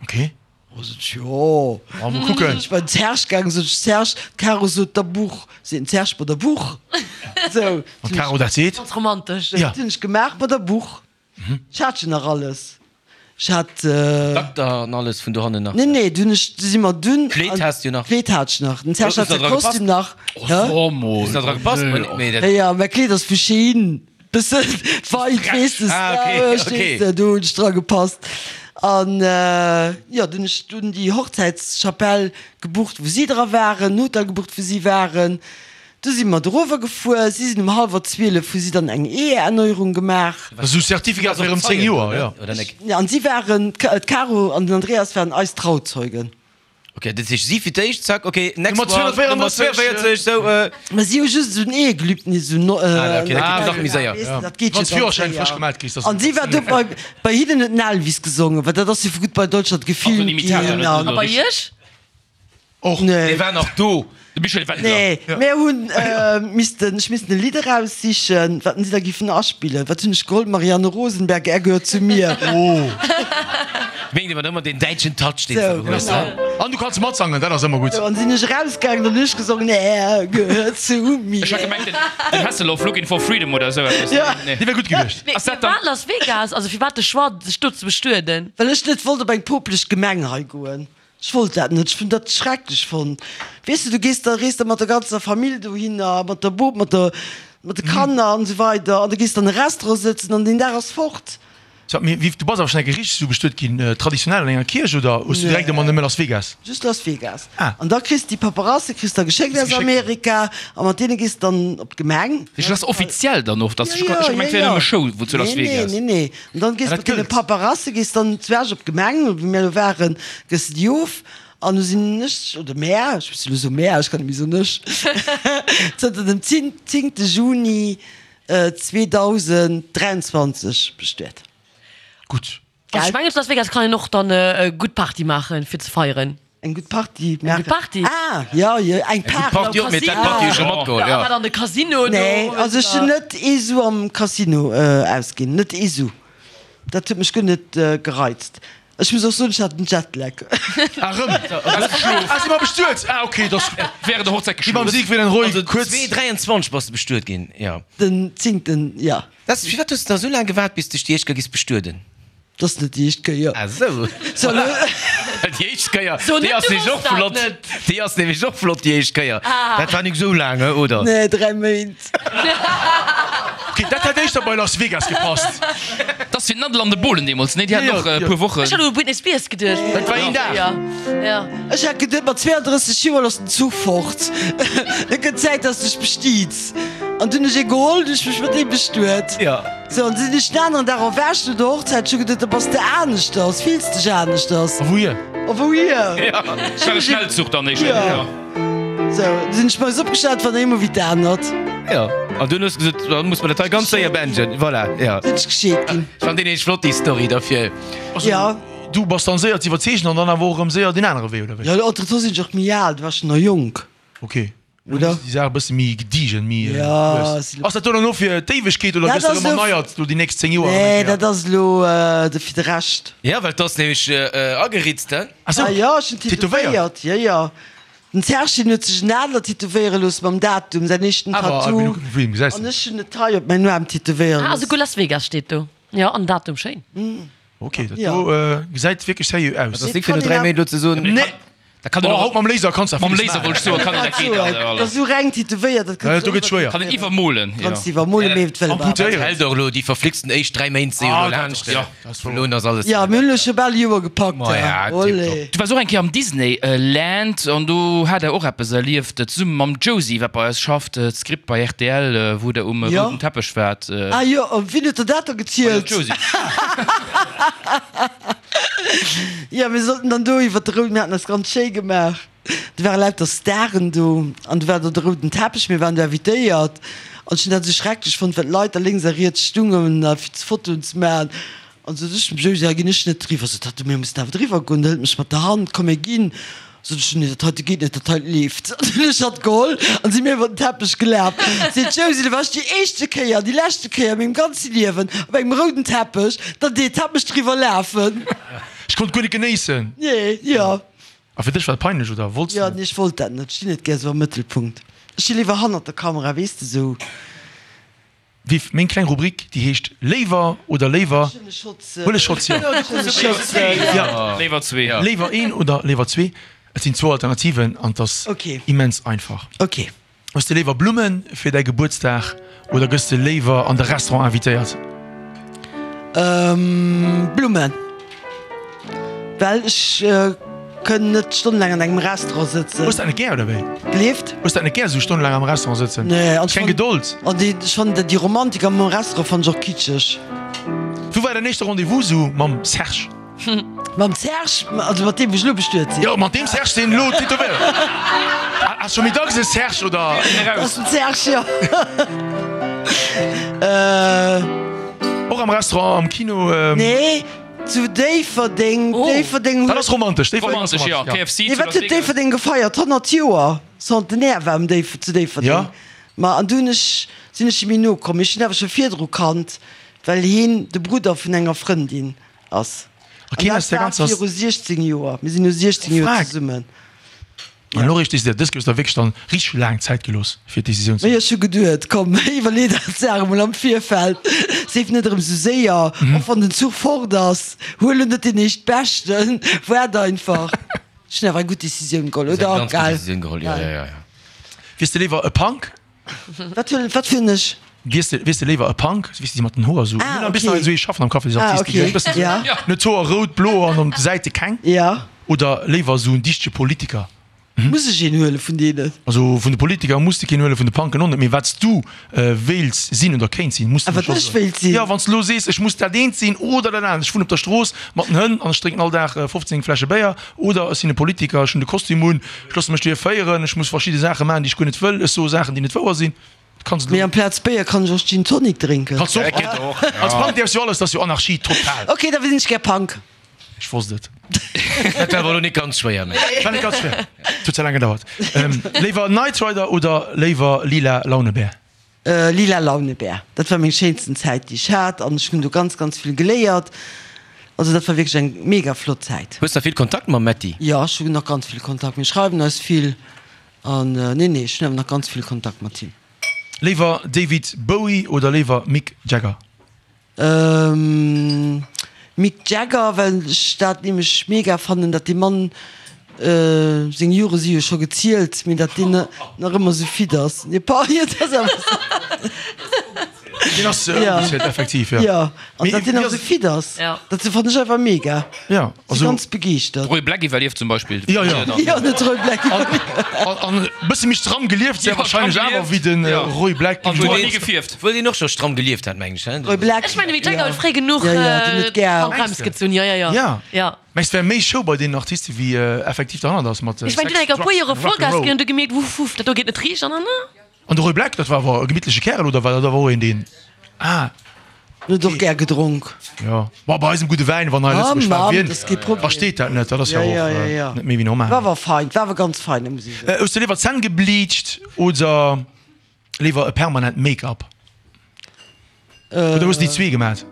Okay. Oh, sot ech, jo. Ma mol kucken. Sinn ech bei den Serge gaangen, sot ech, Serge, d'Caro sot der Buch. Seet den Serge, Ma der Buch! Sou. Wann d'Caro dat seet. Ganz romantesch. Ja. Dat hunn ech gemaach, Ma der Buch. Ech hat jo nach alles. Ech hat. Dakter an alles vun dohannen nach. Nee, nee, du hunn ech, du si mer dunn. Kleed has du nach. Kleed hat ech nach. Den Serge hat säi Kostüm nach. Oh, mol. Hues nach dra gepasst? Mee dat. Ja, mäi Kleed ass vu Shein. Bëssen weit, weess de. Ah, okay, okay. Verstees de, do hunn ech dra gepasst. An jo, dunn hunn ech dunn déi Hochzäitschapell gebucht, wou si dra waren, den Hotel gebucht, wou si waren. Du si mer dorower gefuer, si sinn um hallwer zwielef, hu si dann eng Eheerneuerung gemaach. Esou Certificat fir ëm zéng Joer, jo. Ja, an si waren, d'Caro an den Andreas waren eis Trauzeugen. Ok, dat heescht si fir d'éischt, zack, ok, next Nummer one, Nummer zweeënvéierzeg, sou. Mä si hu just esou en Ehegelübnis, esou en. Ah, ok, dat geet nach méi séier. Weess de, dat geet jo Wann s ganz Führerschäin séier. frësch gemellt kriss, An si war do bei, bei hinnen huet den Elvis gesongen, well dat ass jo vu Goodbye Deutschland gefilmt ginn. A bei iech? Och. Nee. Dee war nach do. De Michel Wendler. Nee, mir hunn missten, ech missten e Lidd eraussichen, wat si da giffen aspillen. Wat hunn ech geholl? Marianne Rosenberg, Er gehört zu mir. Oh. Wéinst ëmmer ëmmer deen däitschen Touch, deen s Sou, de hues, genau. ne? An du kanns matsangen, dat ass ëmmer gutt. Sou, an sinn ech erausgaangen, dann hunn ech gesongen, Er gehört zu mir. Ech hat gemengt, den, den Hasselhoff, Looking for Freedom oder esou eppes. Ja. Nee. Dee wär gutt gewiescht. Mee Ass dat dann. firwat Las Vegas? Also firwat de Choix, sech do ze bestueden? Well ech net wollt op eng popeleg Gemeng hei goen. Ech wollt dat net, ech hunn dat schrecklech fonnt. Weess de, du gees da, rees da mat der ganzer Famill dohinner, mat der Bop, mat der, mat de Kanner an esou weider an da gees de an e Restaurant sëtzen an deen Dag ass fort. Sag, mee wéi, du bass awer schonn eng Kéier richteg esou bestuet ginn, traditionell an enger Kierch oder hues du direkt ëmmer nëmme Las Vegas? Just Las Vegas. Ah. An da kriss de déi Paperasse kriss da geschéckt aus Amerika a mat deene gees de dann op d'Gemeng. Dat ass offiziell dann och, dass, ech hu gemengt, et wär nëmme Show wou zu Las Vegas. Nee, nee, nee. An dann gees Ah, mat dat deene gëllt. Paperasse gees dann zu Esch op d'Gemeng, wou mir elo waren, gëss de déi of An du sinn ech, oder mär, ech muss elo soen mär, ech kann net méi soen ech, zënter dem zéngte Juni zweedausenddräianzwanzeg bestuet. Gutt. Ech mengen zu Las Vegas kann een och dann e gutt Party maachen fir ze feieren. Eng gutt Party maachen? Eng gutt Party? Ah, jo, jo, eng Party. Party och, mee dat Party hu ech scho matgeholl, jo. An de Casino do. Nee, also ech hunn net ee Su am Casino ausginn, net ee Su. Dat huet mech guer net gereizt. Ech muss och soen, ech hat en Jetlag. Ah, rëm? Ah, si mer bestuet? Ah, ok, dass. Während der Hochzäit geschlof. Déi beim Siegfried and Roy Also kuerz. zwee dräianzwanzeg bass de bestuet ginn, jo. Den zéngten, jo. Dat, firwat hues de da sou laang gewaart, bis dech déi éischt Kéier giss bestueden? Dat ass net déi éischt Kéier. Ah sou. So, lo. Déi éischt Kéier, So, déi net, ass du nämlech och wosst dat flott. net. Déi ass nämlech och flott, déi éischt Kéier. Ah. Dat war nik sou laang, oder? Nee, dräi Méint. Ok, dat hätt éischter bei Las Vegas gepasst. Dat ass wéi d'Nadel an de Bohlen deemools, nee? Déi haten och e puer Wochen. Ech hat u Britney Spears geduecht. Dat war een Dag. Ja, ja. Ech hat geduet, mat zweeandrësseg Joer ass den Zuch fort. Et gëtt Zäit, dass de dech bestiits. An dunn hunn ech ee geholl, dunn hunn ech mech mat deem bestuet. Ja. Sou, an du sinn ech den aneren Dag erwächt no der Hochzäit. Ech hu geduet, da bass de aneschters, fills dech aneschters. A wouhier? A wouhier? Ja, dat war e Schnellzuch dann éischter. Ja. Sou, du sinn ech moies opgestan, et war nach eemol wéi d'anert. Jo, an dunn hues de gesot, da muss mer dat hei ganz séier beenden. Voilà, jo. Sinn ech gescheet ginn. Ech fannen déi nämlech flott, déi Story derfir. Also, Ja. du bass dann séier ze iwwerzeegen an dann awer och erëm séier deen anere Wee, oder wéi? Jo, entretemps sinn ech och méi al, du waars schonn nach jonk. Ok. Oder? Déi Saach e bësse méi gediegen, méi Ja, lues. si Ass dat do dann elo fir d'Éiwegkeet oder Dat gëss de ass erëm elo. erneiert lo déi nächst zéng Joer erëm eng Nee, Kéier? dat ass elo de fir de Rescht. Ja, well 't ass nämlech ageritzt, he? Ah sou, Ah jo, ech hunn tätowéiert? tätowéiert, jo, jo. Den Serge hien huet sech en Adler tätowéiere loosse mam Datum, säin éischten Tattoo. An ech hunn et hei op mäin Aarm tätowéiere Ah, loosse. esouguer Las Vegas steet do. Jo, an Datum, schéin. Ok, dat do gesäit wierklech seriö aus. Dat ass nik fir no dräi Méint elo ze soen. Nee! Da kann en Oh, och haut mam Laser kanns de mam villes Laser maachen. wollt ech soen, kann en dat geet Dat alles. ass esou reng tätowéiert, dat Ja, kanns do du gëtt schwéier. Kann en iwwermolen, jo. Kanns iwwermolen, mee et wëll awer. Amputéieren. Hält och elo déi verflixten éischt dräi Méint si jo Ah, elo dat laanscht. ass- ja, dat ass Vun elo un ass alles. Ja, mir hunn elo scho bal e Joer gepackt. Ma ja, Olé. Du waars och eng Kéier am Disney Land an do hat der och eppes erlieft, zesumme mam Josy, wat bei eis schafft, d'Script bei R T L, wou der um Jo. rouden Teppech waart. Ah jo, a wien huet der dat da gezielt? Josy. Jo, mir sollten dann do iwwer de rouden, mir haten eis ganz schéi gemaach, do ware lauter Staren do an do war do de rouden Teppech, mir waren do invitéiert an ech hunn dat esou schrecklech fonnt, well d'Leit da lénks a riets stungen a fir Fotoen ze maachen an sot ech dem Josie, hei ginn ech net driwwer, sot hatt, mir mussen awer driwwer goen, hëlt mech mat der Hand, komm mir ginn, sot ech, nee dat heite geet net, dat heite leeft. An dunn hunn ech hatt geholl an si mir iwwer den Teppech gelaf. Seet d'Josie, do war ech déi éischte Kéier an déi leschte Kéier a mengem ganze Liewen op engem rouden Teppech, dann deet hatt mech driwwer lafen. Ech konnt guer net genéissen. Nee, jo. A fir dech war et peinlech, oder wollts Jo, de net? nee, ech wollt dat net. Ech stinn net gär sou am Mëttelpunkt. Ech sti léiwer hannert der Kamera, weess de, sou. Viv, meng kleng Rubrik, déi heescht Léiwer oder léiwer. Huel e Schotz, jo. Léiwer zwee. Léiwer een oder léiwer zwee? Et sinn zwou Alternativen an et ass immens einfach. Ok. Hues de léiwer Blumme fir däi Gebuertsdag oder gëss de léiwer an de Restaurant invitéiert? Blummen. Well ech kënn net stonnelaang an engem Restaurant sëtzen. Hues dat net gär, oder wéi? Gleeft? Hues dat net gär, esou stonnelaang am Restaurant sëtzen? Nee, an Keng Gedold? An déi, ech fannen dat déi Romantik am Restaurant fannen ech och kitscheg. Wou war däin éischte Rendez-vous esou mam Serge? Mam Serge? Also mat deem wou ech elo bestuet sinn? Jo, mat deem Serge, deen elo tätowéiert. Ass scho méi dacks e Serge, oder? Dat ass den Serge, jo. Och am Restaurant, am Kino? Nee. Zu Déifferdeng, Déifferdeng huet. Dat ass romantesch, Déifferdeng ass Romantesch, jo. romantesch, ja. K F C Nee, zu wat Las huet Vegas. Déifferdeng gefeiert? honnert Joer Centenaire war um Déif zu Déifferdeng. Ja. Ma an du hunn ech, sinn ech him méi no komm. Ech hunn awer scho virdru kannt, well hien de Brudder vun enger Frëndin ass. A keen An aus dat der war ganzer. viru siechzéng Joer. Mir sinn elo siechzéng Joer Frag. zesummen. An elo réischt décidéiert. Dës Kéier hues de der wierklech dann richteg laang Zäit gelooss, fir d'Decisioun ze. Mee ech hu geduet, komm, iwwerlee der d'Saach emol am Virfeld, seef net erëm esou séier, och wann den Zuch fort ass, huel en net deen éischtbeschten, waart einfach. Ech hunn awer eng gutt Decisioun geholl, Hues eng oder? ganz gutt Gell? Decisioun geholl, jo, jo, jo, jo. Wiers de léiwer e Punk? Wat huelen, wat fir en ech? Wiers de, wiers de léiwer e Punk, wéi s de déi mat den Hoer esou, Ah, mir hunn e bëssen okay. esou ee Schaffen am Café, déi Ah, Artisten, déi okay. e bëssen esou, Ja. net d'Hoer rout, blo an op de Säite keng? Ja. Oder léiwer esou en dichtege Politiker? Muss ech een huele vun deenen? Also vun de Politiker muss de keen huelen, vun de Punken och net, mee wat s du wéilts sinn oder kéints sinn, muss de A wat scho ech soen. wéilt sinn? Jo, wann s de elo sees, ech muss dat eent sinn oder dat anert, ech wunnen op der Strooss mat den Hënn an ech drénken all Dag fofzéng Fläsche Béier, oder ech sinn e Politiker, ech hunn de Kostüm un, ech loosse mech dohier féieren, ech muss verschidde Saache maachen, déi ech guer net wëll, ech soe Saachen, déi net wouer sinn. Kanns Mee elo. amplaz Béier kann ech och Gin Tonic drénken. Kanns de och. Als Punk däerfs du jo alles, dat ass jo Anarchie total. Ok, da sinn ech gär Punk. Ech wosst et. Dat war awer elo net ganz schwéier, mä. War net ganz schwéier. Et huet ze laang gedauert. Léiwer Knight Rider oder léiwer Lila Launebär? Lila Launebär. Dat war meng schéinsten Zäit, déi ech hat an ech hunn do ganz, ganz vill geléiert. Also dat war wierklech eng mega flott Zäit. Hues nach vill Kontakt mam Metty? Jo, ech hunn nach ganz vill Kontakt. Mir schreiwen eis vill an nee, nee, ech hunn awer nach ganz vill Kontakt mat him. Léiwer David Bowie oder léiwer Mick Jagger? Mick Jagger, well ech dat nämlech mega fannen, datt dee Mann, seng Jore si jo scho gezielt, mee datt deen nach ëmmer esou fit ass. Nee, pardon, et ass awer esou. Deen ass ongezielt, effektiv, jo. Jo, an datt deen nach esou fit ass, dat fannen ech einfach mega. Jo, also. Si ganz begeeschtert. De Roy Black iwwerlieft zum Beispill. Jo, jo. Jo, den Roy Black iwwerlieft. An e bësse méi stramm gelieft, sehr wahrscheinlech awer, wéi de Roy Black. An huet ni gefierft. Wuel deen och scho stramm gelieft hat, mengen ech, he? Roy Black. Ech mengen, de Mick Jagger huet fréi genuch d'Handbrems gezunn. Jo, jo, jo. Ja. Jo. Mä et wär méi Show bei deenen Artiste wéi effektiv derhannert ass mat Ech mengen, Sex, deen huet e Drugs puer Jore and Rock and Vollgas Roll. ginn an du gemierkt, wuff, wuff, dat do geet net riicht an dann. An de Roy Black, dat war awer e gemittleche Kärel, oder war dat awer och een, deen. Ah. En huet och gär gedronk. Jo, ma bei eisem gudde Wäin, wann hei Lëtzebuerg war, wien versteet dat net? Dat ass jo och net méi wéi normal. War awer fein, war awer ganz fein, dat muss ech soen. Hues de léiwer d'Zänn gebleacht oder léiwer e permanent Make-up? Oder hues de déi zwee gemat?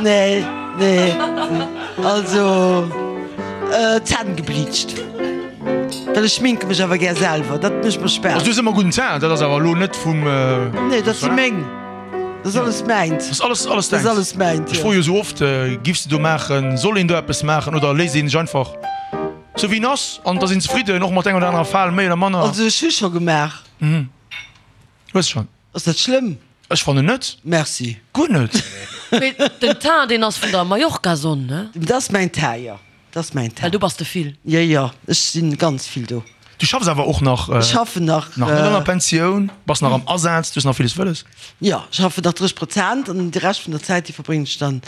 Nee, nee, also d'Zänn gebleacht. Well ech schminke mech awer gär selwer, dat mécht mer Spaass. Also du hues ëmmer gudden Teint, dat ass awer elo net vum. Nee, dat si meng. Dat ass alles mäint. Dat ass alles, alles Dat däins. ass alles mäint, Ech jo. froe jo sou oft, giffs de do maachen, soll een do eppes maachen oder léisst een sech einfach sou wéi en ass an da sinn zefridden, och mat enger oder anerer Fal méi oder manner? Also ech hu scho gemaach. Hues schonn. Ass dat schlëmm? Ech fannen net. Merci. Guer net. Mee den Teint, deen ass vun der Mallorca-Sonn, ne? Dat ass mäin Teint, jo. Dat ass mäin Teint. Well do bass de vill. Jo, jo, ech si ganz vill do. Du schaffs awer och nach? Ech schaffen nach. Nach net an der Pensioun, bass nach am Asaz, du hues nach villes wëlles? Jo, ech schaffen nach drësseg Prozent an de Rescht vun der Zäit, déi verbréngen ech dann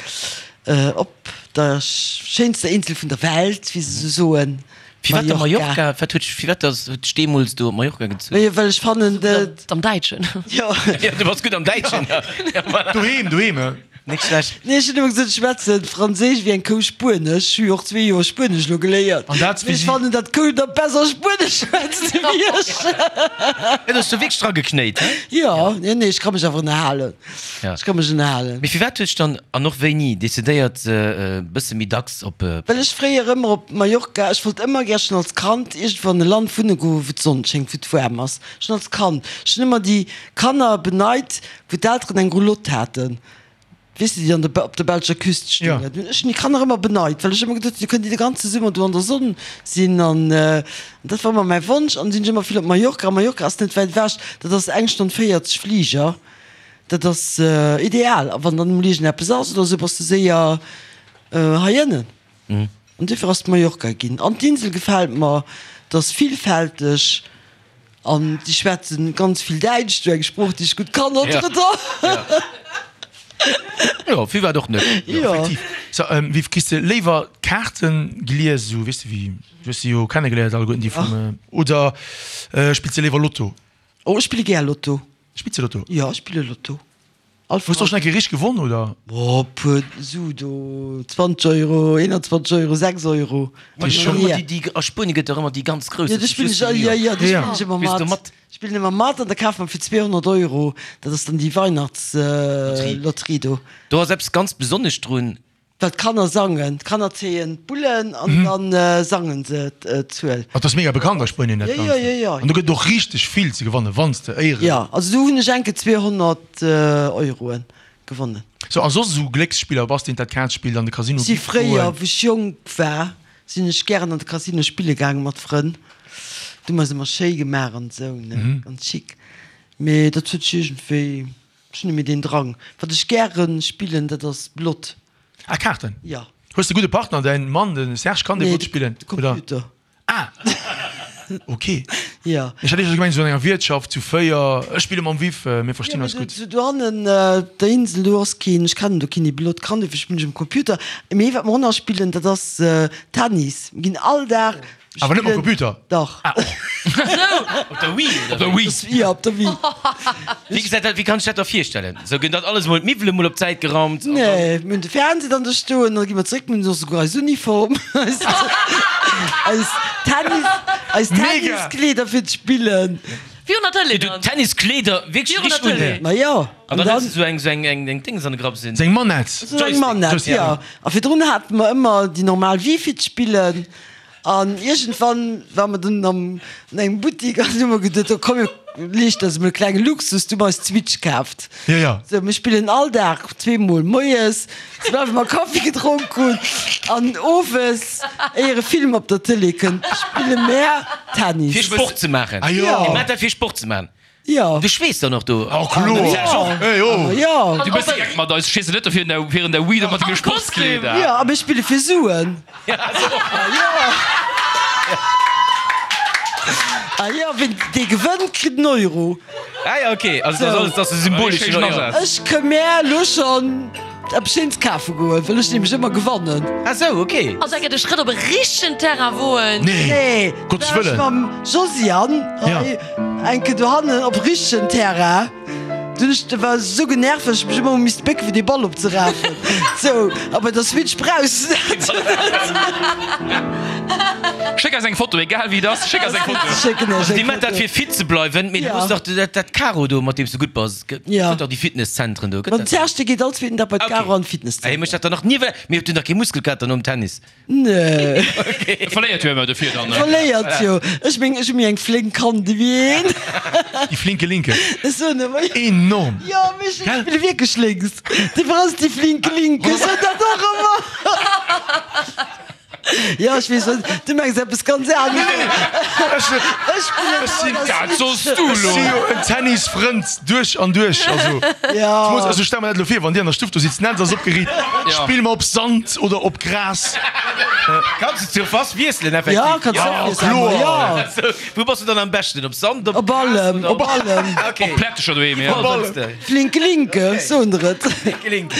op der schéinster Insel vun der Welt, wéi se esou soen, Firwat da Mallorca. Mallorca? Wat huet, firwat ass, huet dech deemools do op Mallorca gezunn? Majo, well ech fannen, dat. Am Däitschen. Jo. Jo, du bass gutt am Däitschen. Ja, voilà. Doheem, doheem, he? Net schlecht. Nee, ech hunn ëmmer gesot, ech schwätze Franséisch wéi eng Kou Spuenesch. Ech hu jo och zwee Joer Spuenesch elo geléiert. An dat, Mee wéi ech si. fannen, datt d'Kou da besser Spuenesch schwätzt wéi ech. Ja, du hues do wierklech dra geknéit, he? Jo, nee, nee, ech ka mech awer ënnerhalen. Ja. Ech ka mech ënnerhalen. Mee firwat huet dech dann, an och wéini, decidéiert, e bësse méi dacks op. Well ech fréier ëmmer op Mallorca, ech wollt ëmmer gär schonn als Kand iergendwou an e Land wunne goen, wou d'Sonn schéngt, wou et waarm ass. Schonn als Kand. Ech hunn ëmmer déi Kanner beneit, wou d'Elteren eng Roulotte haten. Weess de, déi an der, op der belscher Küst Ja. stoungen. Ech hunn déi Kanner ëmmer beneit, well ech ëmmer geduet hunn, déi kënnen déi de ganze Summer do an der Sonn sinn. An dat war ëmmer mäi Wonsch. An sinn ech ëmmer vill op Mallorca. A Mallorca ass net wäit ewech, dat ass eng Stonn véierzeg Fliger. Dat ass ideal. A wann dann emol iergendeppes ass oder esou, bass de séier hei ënnen. An duerfir ass et Mallorca ginn. An d'Insel gefält mer, et ass villfälteg. An déi schwätzen ganz vill Däitsch, do eng Sprooch, déi ech gutt kann, entre-temps. Jo, firwat och net? Jo. Effektiv. So, ähm, wéi kriss de léiwer d'Kaarten gelies, esou, weess de, wéi, du hues se jo kennegeléiert alleguerten, déi vum, oder spills de léiwer Lotto? Oh, ech spille gär Lotto. Spills de Lotto? Jo, ech spille Lotto. All Hues de och schonn eng Kéier richteg gewonn, oder? Oh, puer Su do, zwanzeg Euro, eenanzwanzeg Euro, sechs Euro. Ma déi schon ëmmer déi, déi, a Spuenie gëtt der ëmmer déi ganz grouss. Jo, déi spillen ech, jo, jo, déi spillen ech ëmmer Spills du mat. mat? Spillen ëmmer mat an da kafe mer fir zweehonnert Euro, dat ass dann déi Weihnachtslotterie do. Do ass eppes ganz Besonnesch drun. Well d'Kanner sangen, d'Kanner zéien d'Bullen an dann sangen se d'Zuel. Dat ass mega bekannt a Spuenien, dat Jo, jo, jo, jo. An do gëtt et och richteg vill ze gewannen, wann s de éieren. Jo, also do hunn ech enke zweehonnert Euroen gewonnen. Sou, a soss esou Glécksspiller, bass de een dat Kaart spillt an de Casino Si giff fréier, goen? wou ech jonk war, sinn ech gären an de Casino spille gaangen mat Frënn. Do hu mer se ëmmer schéi gemaach an esou, ne, ganz chic. Mee dat huet sech iergendwéi, ech hunn net méi deen Drang. Wat ech gäre spillen, dat ass Blott. Ah, Kaarten? Jo. Hues de gudde Partner? Däin Mann, de Serge, kann dee Nee, gutt spillen? de Computer. Ah! Ok. Jo. Ech hat éischter gemengt, esou an enger Wiertschaft zu véier, ech spille mam Viv, mir verstinn eis gutt. Jo, mee do hannen op der Insel, do ass keen, ech kennen do keen, dee Belot kann, dofir spillen ech um Computer. Mee wat mer och nach spillen, dat ass Tennis. Mir ginn all Dag. Awer net mam Computer? Dach. Ah, och. Op der Wii, oder? Op der Wii. Jo, op der Wii. Wéi gesäit dat, wéi kann ech dat da virstellen? Sou ginn dat alles mol, d'Miwwele mol op d'Säit geraumt an dann. Nee, mir hunn de Fernseh dann do stoen, da gi mer zeréck, mir hunn och souguer eis Uniform, eis, eis Tennis, eis Tenniskleeder fir d'Spillen. Virun der Tëlee Du dann. Tenniskleeder wierklech Virun der richteg un? Tëlee. Ma jo. An dann hues du sou eng, sou eng, eng, eng Dings an de Grapp sinn. Seng Manett. Sou eng Manett, jo. A virdrun hate mer ëmmer déi normal Wii fir d'Spillen. An iergendwann ware mer dunn am, an engem Buttik an hu mer geduet, oh komm, mir leeschten eis emol e klenge Luxus, du hu mer eis d'Switch kaaft. Jo, jo. Sou, mir spillen all Dag zweemol, moies, soubal mer Kaffi gedronk hunn, an owes, éier e Film op der Tëlee kënnt, spille mär Tennis. Fir Sport ze maachen? Ah jo. Dir maacht dat fir Sport ze maachen? Jo. Du schweess dann och do? Oh kloer! Hey, oh. Jo. Du bist direkt mat eis, stees du net do virun der, virun der Wii do mat denge Sportskleeder? Jo, a mir spille fir Suen. Ah jo. Ah jo, wien dee gewënnt, kritt en Euro. Ah ja, okay. Also dat ass alles, dat ass e symboleschen Euro. Ech ka mär elo schonn eppes Schéins kafe goen, well ech nämlech ëmmer gewannen. Ah sou, okay. Also eng Kéier de Schrëtt op e richtegen Terrain woen. Nee, Nee, Gottes da war ech Wëllen. mam Josiane hei eng Kéier dohannen op richtegen Terrain. Dunn ech war esou genervt, dass ech mech ëmmer hu misste bécke fir dee Ball opzerafen. Sou, a bei der Switch brauchs de dat net. Schéck eis eng Foto, egal wéi et ass, schéck eis eng Foto. Schécken iech Also eng déi mat dat Foto. fir fit ze bleiwen, mee du Ja. hues dach dat, dat Karo do, mat deem s du gutt bass. Gëtt Ja. gëtt dach déi Fitnesszentren do, gëtt Mam dat? Serge, dee geet all zweeten Dag bei d'Karo an Okay. d'Fitnesszenter. Ah, hie mécht dat dann nach ni, well mee huet du nach kee Muskelkater nom Tennis? Nee. E verléiert jo ëmmer dofir dann. Verléiert jo. Ech meng, ech hu méi eng flénk Hand ewéi een. Déi flinke Linke. Ech soen ëmmer. Enorm. Jo, mee ech spille wierklech lénks. Dofir ass et déi flinke Linke. Ech soen dat och ëmmer. Jo, ech weess, wat du mengs eppes ganz anescht. Ech Ech spillen Ech sinn awer Dat soss du Ech elo. si jo en Tennisfrënd duerch an duerch. Also, Ja. ech muss, also stell mer dat elo vir, wann dir an der Stuff do sitzt, d'Netz ass opgeriit, Ja. spill mer op Sand oder op Gras. Kanns du zur Face wiesselen, effektiv? Ja, kanns du Ja, och wiesselen, kloer. ja. Also, wou bass du dann am beschten? Op Sand, op Op Gras allem, oder op allem. Okay. Op Plättecher doheem, ja. Op allem. Flinke Linke, soen der et. Flinke Linke.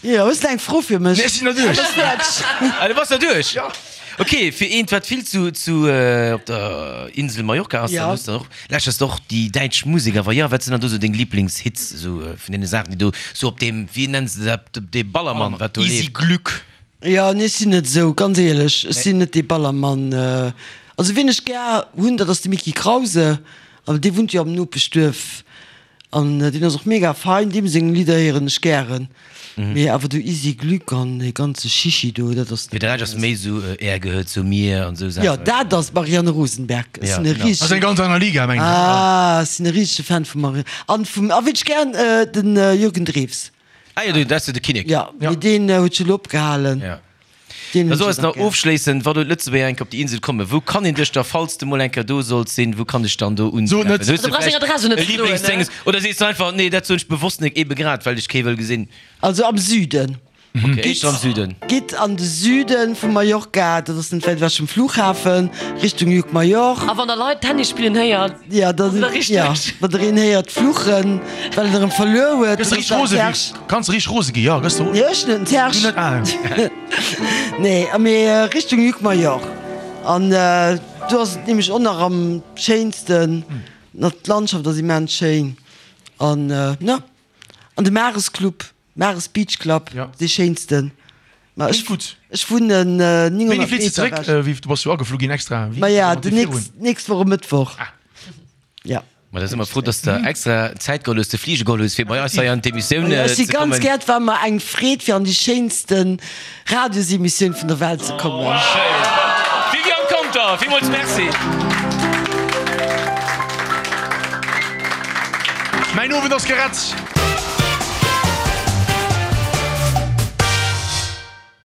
Jo, hues de eng Fro fir mech? Nee, ech sinn der duerch. Ass fäerdeg. Ah, du bass der duerch? Ja. Okay, fir eent, wat vill zu, zu op der Insel Mallorca ass, Ja. dann hues de och, lauschters de och déi däitsch Musek. Awer jo, wat sinn dann do sou deng Liblingshits, sou vun deene Saachen, déi do sou op deem, wéi nennen se dat, op dee Ballermann, wat do Easy leeft? Glück. Jo, nee, ech sinn net esou, ganz éierlech, ech sinn net dee Ballermann. Also wien ech gär hunn, dat ass de Mickie Krause, awer dee wunnt jo am Nopeschduerf an deen ass och mega fein, deem seng Lidder héieren ech gären. Mee awer do Isi Glück an dee ganze Chichi do, dat ass Mee net de Rescht ass méi esou Er gehört zu mir an esou Jo, Saachen. dat ass d'Marianne Rosenberg. Ech Ja, sinn e genau. Dat ass eng richtegen, ganz aner Liga, mengen ech. ah, ech sinn e richtege Fan vum Marianne an vum, a wien ech gären, den Jürgen Drews. Ah jo, dat ass jo de Kinnek. Ja, mee deen huet jo elo opgehalen. Ja. Deen Da hunn so ech eis och nach gär. ofschléissend, wa do d'Lëtzebuerger eng Kéier op déi Insel kommen, wou kann een dech da, falls de mol eng Kéier do solls sinn, wou kann dech dann do So net. untreffen? Hues Du de brauchs deng vläicht Adress och net e ze soen, ne? Lieblingsdénges oder sees du einfach, nee, dat soen ech bewosst nek, ebe grad well ech kee wëll gesinn? Also am Süden. Okay, éischter am Süden. Gitt an de Süden vu Mallorca, dat ass net wäit ewech vum Flughafen, Richtung Llucmajor. A wann der Leit Tennis spillen héiert, Ja, da ass der richteg. ja, wann der een héiert fluchen, well en erëm verluer huet, Gëss dann riicht ass dat rose den gi. Serge. Kanns riicht rose gi, ja, gëss du. Nee, ech net, den Serge. Du net, ah. Nee, mee Richtung Llucmajor. An do ass et nämlech och nach am schéinsten. D'Landschaft ass immens schéin. An, ne, an de Mares Club. Mares Beach Club, Ja. dee schéinsten. Ma Klingt ech, gutt. ech wunnen Wéini nénghonnert flitt se Meter zeréck? ewech. Äh, wéi, du bass jo ageflu ginn extra. Wéi Ma ja, mat de dir virun? nächst, nächst Woche Mëttwoch. Ah. Ja. Ma da si mer frou, dass de extra Zäit geholl hues, de Flige geholl hues, fir bei eis hei an d'Emissioun Ma ja, ech si ze ganz kommen. gär, et war mer eng Freed, fir an déi schéinsten Radiosemissioun vun der Welt ze kommen. Oh, schéin. Viviane Conter, villmools Merci. Mäin Owend ass gerett.